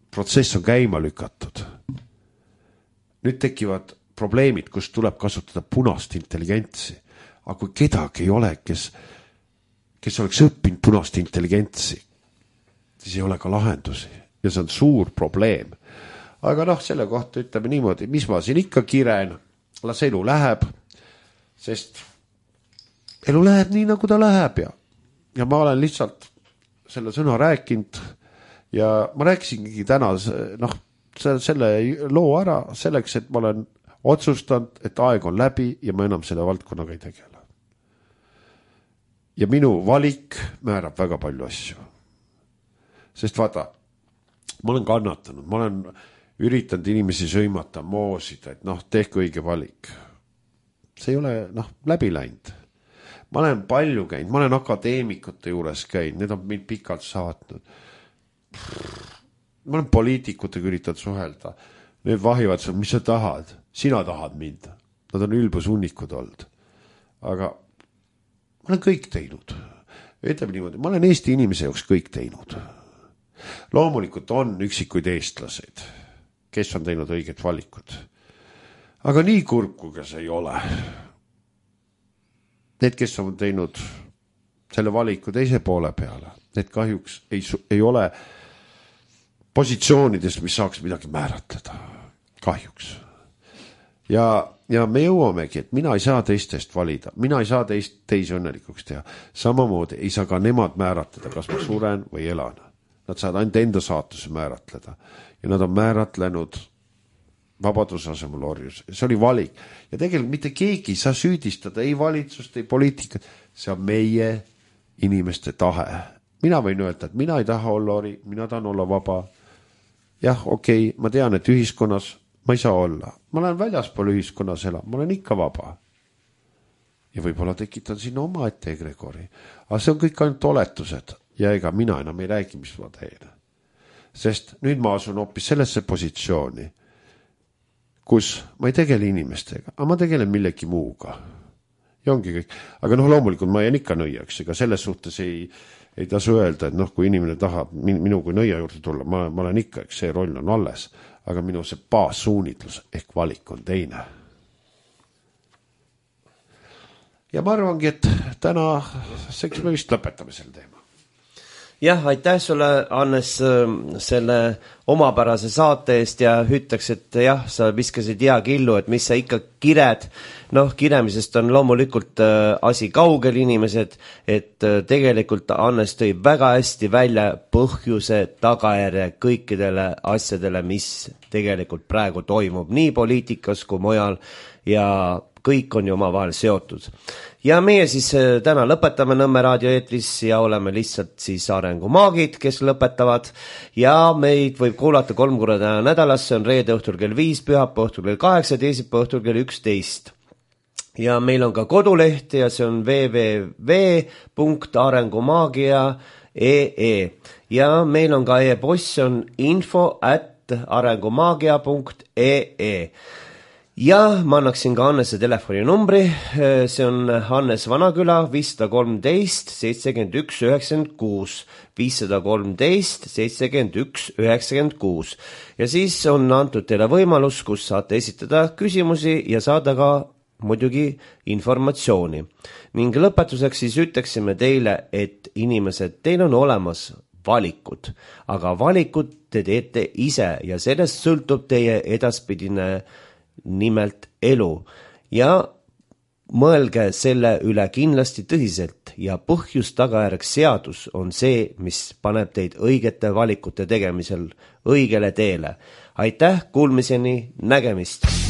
protsess on käima lükatud. Nüüd tekivad probleemid, kus tuleb kasutada punast intelligentsi, aga kui kedagi ei ole, kes, kes oleks õppinud punast intelligentsi, siis ei ole ka lahendusi ja see on suur probleem. Aga noh, selle kohta ütleme niimoodi, mis ma siin ikka kiren, las elu läheb, sest elu läheb nii, nagu ta läheb ja, ja ma olen lihtsalt selle sõna rääkinud ja ma rääkisingi täna noh, selle loo ära selleks, et ma olen otsustanud, et aeg on läbi ja ma enam selle valdkonnaga ei tegele. Ja minu valik määrab väga palju asju. Sest vaata, ma olen kannatanud, ma olen üritanud inimesi sõimata, moosida, et noh, tehke õige valik. See ei ole noh, läbi läinud. Ma olen palju käinud, ma olen akadeemikute juures käinud, need on mind pikalt saatnud. Ma olen poliitikutega üritanud suhelda. Need vahivad, mis sa tahad? Sina tahad mind. Nad on ülbusunikud olnud. Aga ma olen kõik teinud. Ütleme niimoodi, ma olen Eesti inimese jaoks kõik teinud. Loomulikult on üksikuid eestlased, kes on teinud õiged valikud. Aga nii kurb, kui see ei ole. Need, kes on teinud selle valiku teise poole peale, need kahjuks ei, ei ole positsioonidest, mis saaks midagi määratleda. Kahjuks. Ja, ja me jõuamegi, et mina ei saa teistest valida. Mina ei saa teist, teisi õnnelikuks teha. Samamoodi ei saa ka nemad määratleda, kas ma suren või elan. Nad saavad ainult enda saatuse määratleda. Ja nad on määratlenud vabaduse asemel orjus. See oli valik. Ja tegelikult mitte keegi ei saa süüdistada ei valitsust, ei poliitikat. See on meie inimeste tahe. Mina võin öelda, et mina ei taha olla ori, mina tahan olla vaba. Jah, okei, okay, ma tean, et ühiskonnas ma ei saa olla. Ma olen väljaspool ühiskonnas elab, ma olen ikka vaba. Ja võib-olla tekitan sinna oma ette egregori. Aga see on kõik ainult oletused ja ega mina enam ei räägi, mis ma teen. Sest nüüd ma asun hoopis sellesse positsiooni, kus ma ei tegele inimestega, aga ma tegelen millegi muuga. Ja ongi kõik. Aga noh, loomulikult ma jään ikka nõiaks, ega selles suhtes ei, ei tasu öelda, et noh, kui inimene tahab minu kui nõia juurde tulla, ma, ma olen ikka, eks see roll on alles. Aga minu see baassuunitlus ehk valik on teine. Ja ma arvangi, et täna seks me vist lõpetame selle teema. Jah, aitäh sulle, Hannes, selle omapärase saate eest ja ütleks, et jah, sa viskasid hea killu, et mis sa ikka kired. Noh, kiremisest on loomulikult asi kaugel inimesed, et tegelikult Hannes tõi väga hästi välja põhjuse tagajärje kõikidele asjadele, mis tegelikult praegu toimub nii poliitikas kui mujal ja kõik on ju omavahel seotud. Ja meie siis täna lõpetame Nõmme raadio eetris ja oleme lihtsalt siis arengumaagid, kes lõpetavad ja meid võib kuulata kolm korda nädalas, see on reede õhtul kell viis, pühapäeva õhtul kell kaheksa, teisipäeva õhtul kell üksteist. Ja meil on ka koduleht ja see on w w w punkt arengumaagia punkt e e ja meil on ka e-post, see on info at arengumaagia punkt e e. Ja ma annaksin ka Hannese telefoninumbri, see on Hannes Vanaküla viissada kolmteist seitsekümmend üks üheksakümmend kuus, viissada kolmteist seitsekümmend üks üheksakümmend kuus. Ja siis on antud teile võimalus, kus saate esitada küsimusi ja saada ka muidugi informatsiooni. Ning lõpetuseks siis ütleksime teile, et inimesed, teil on olemas valikud, aga valikud te teete ise ja sellest sõltub teie edaspidine nimelt elu ja mõelge selle üle kindlasti tõsiselt ja põhjus tagajärg seadus on see, mis paneb teid õigete valikute tegemisel õigele teele. Aitäh, kuulmiseni, nägemist!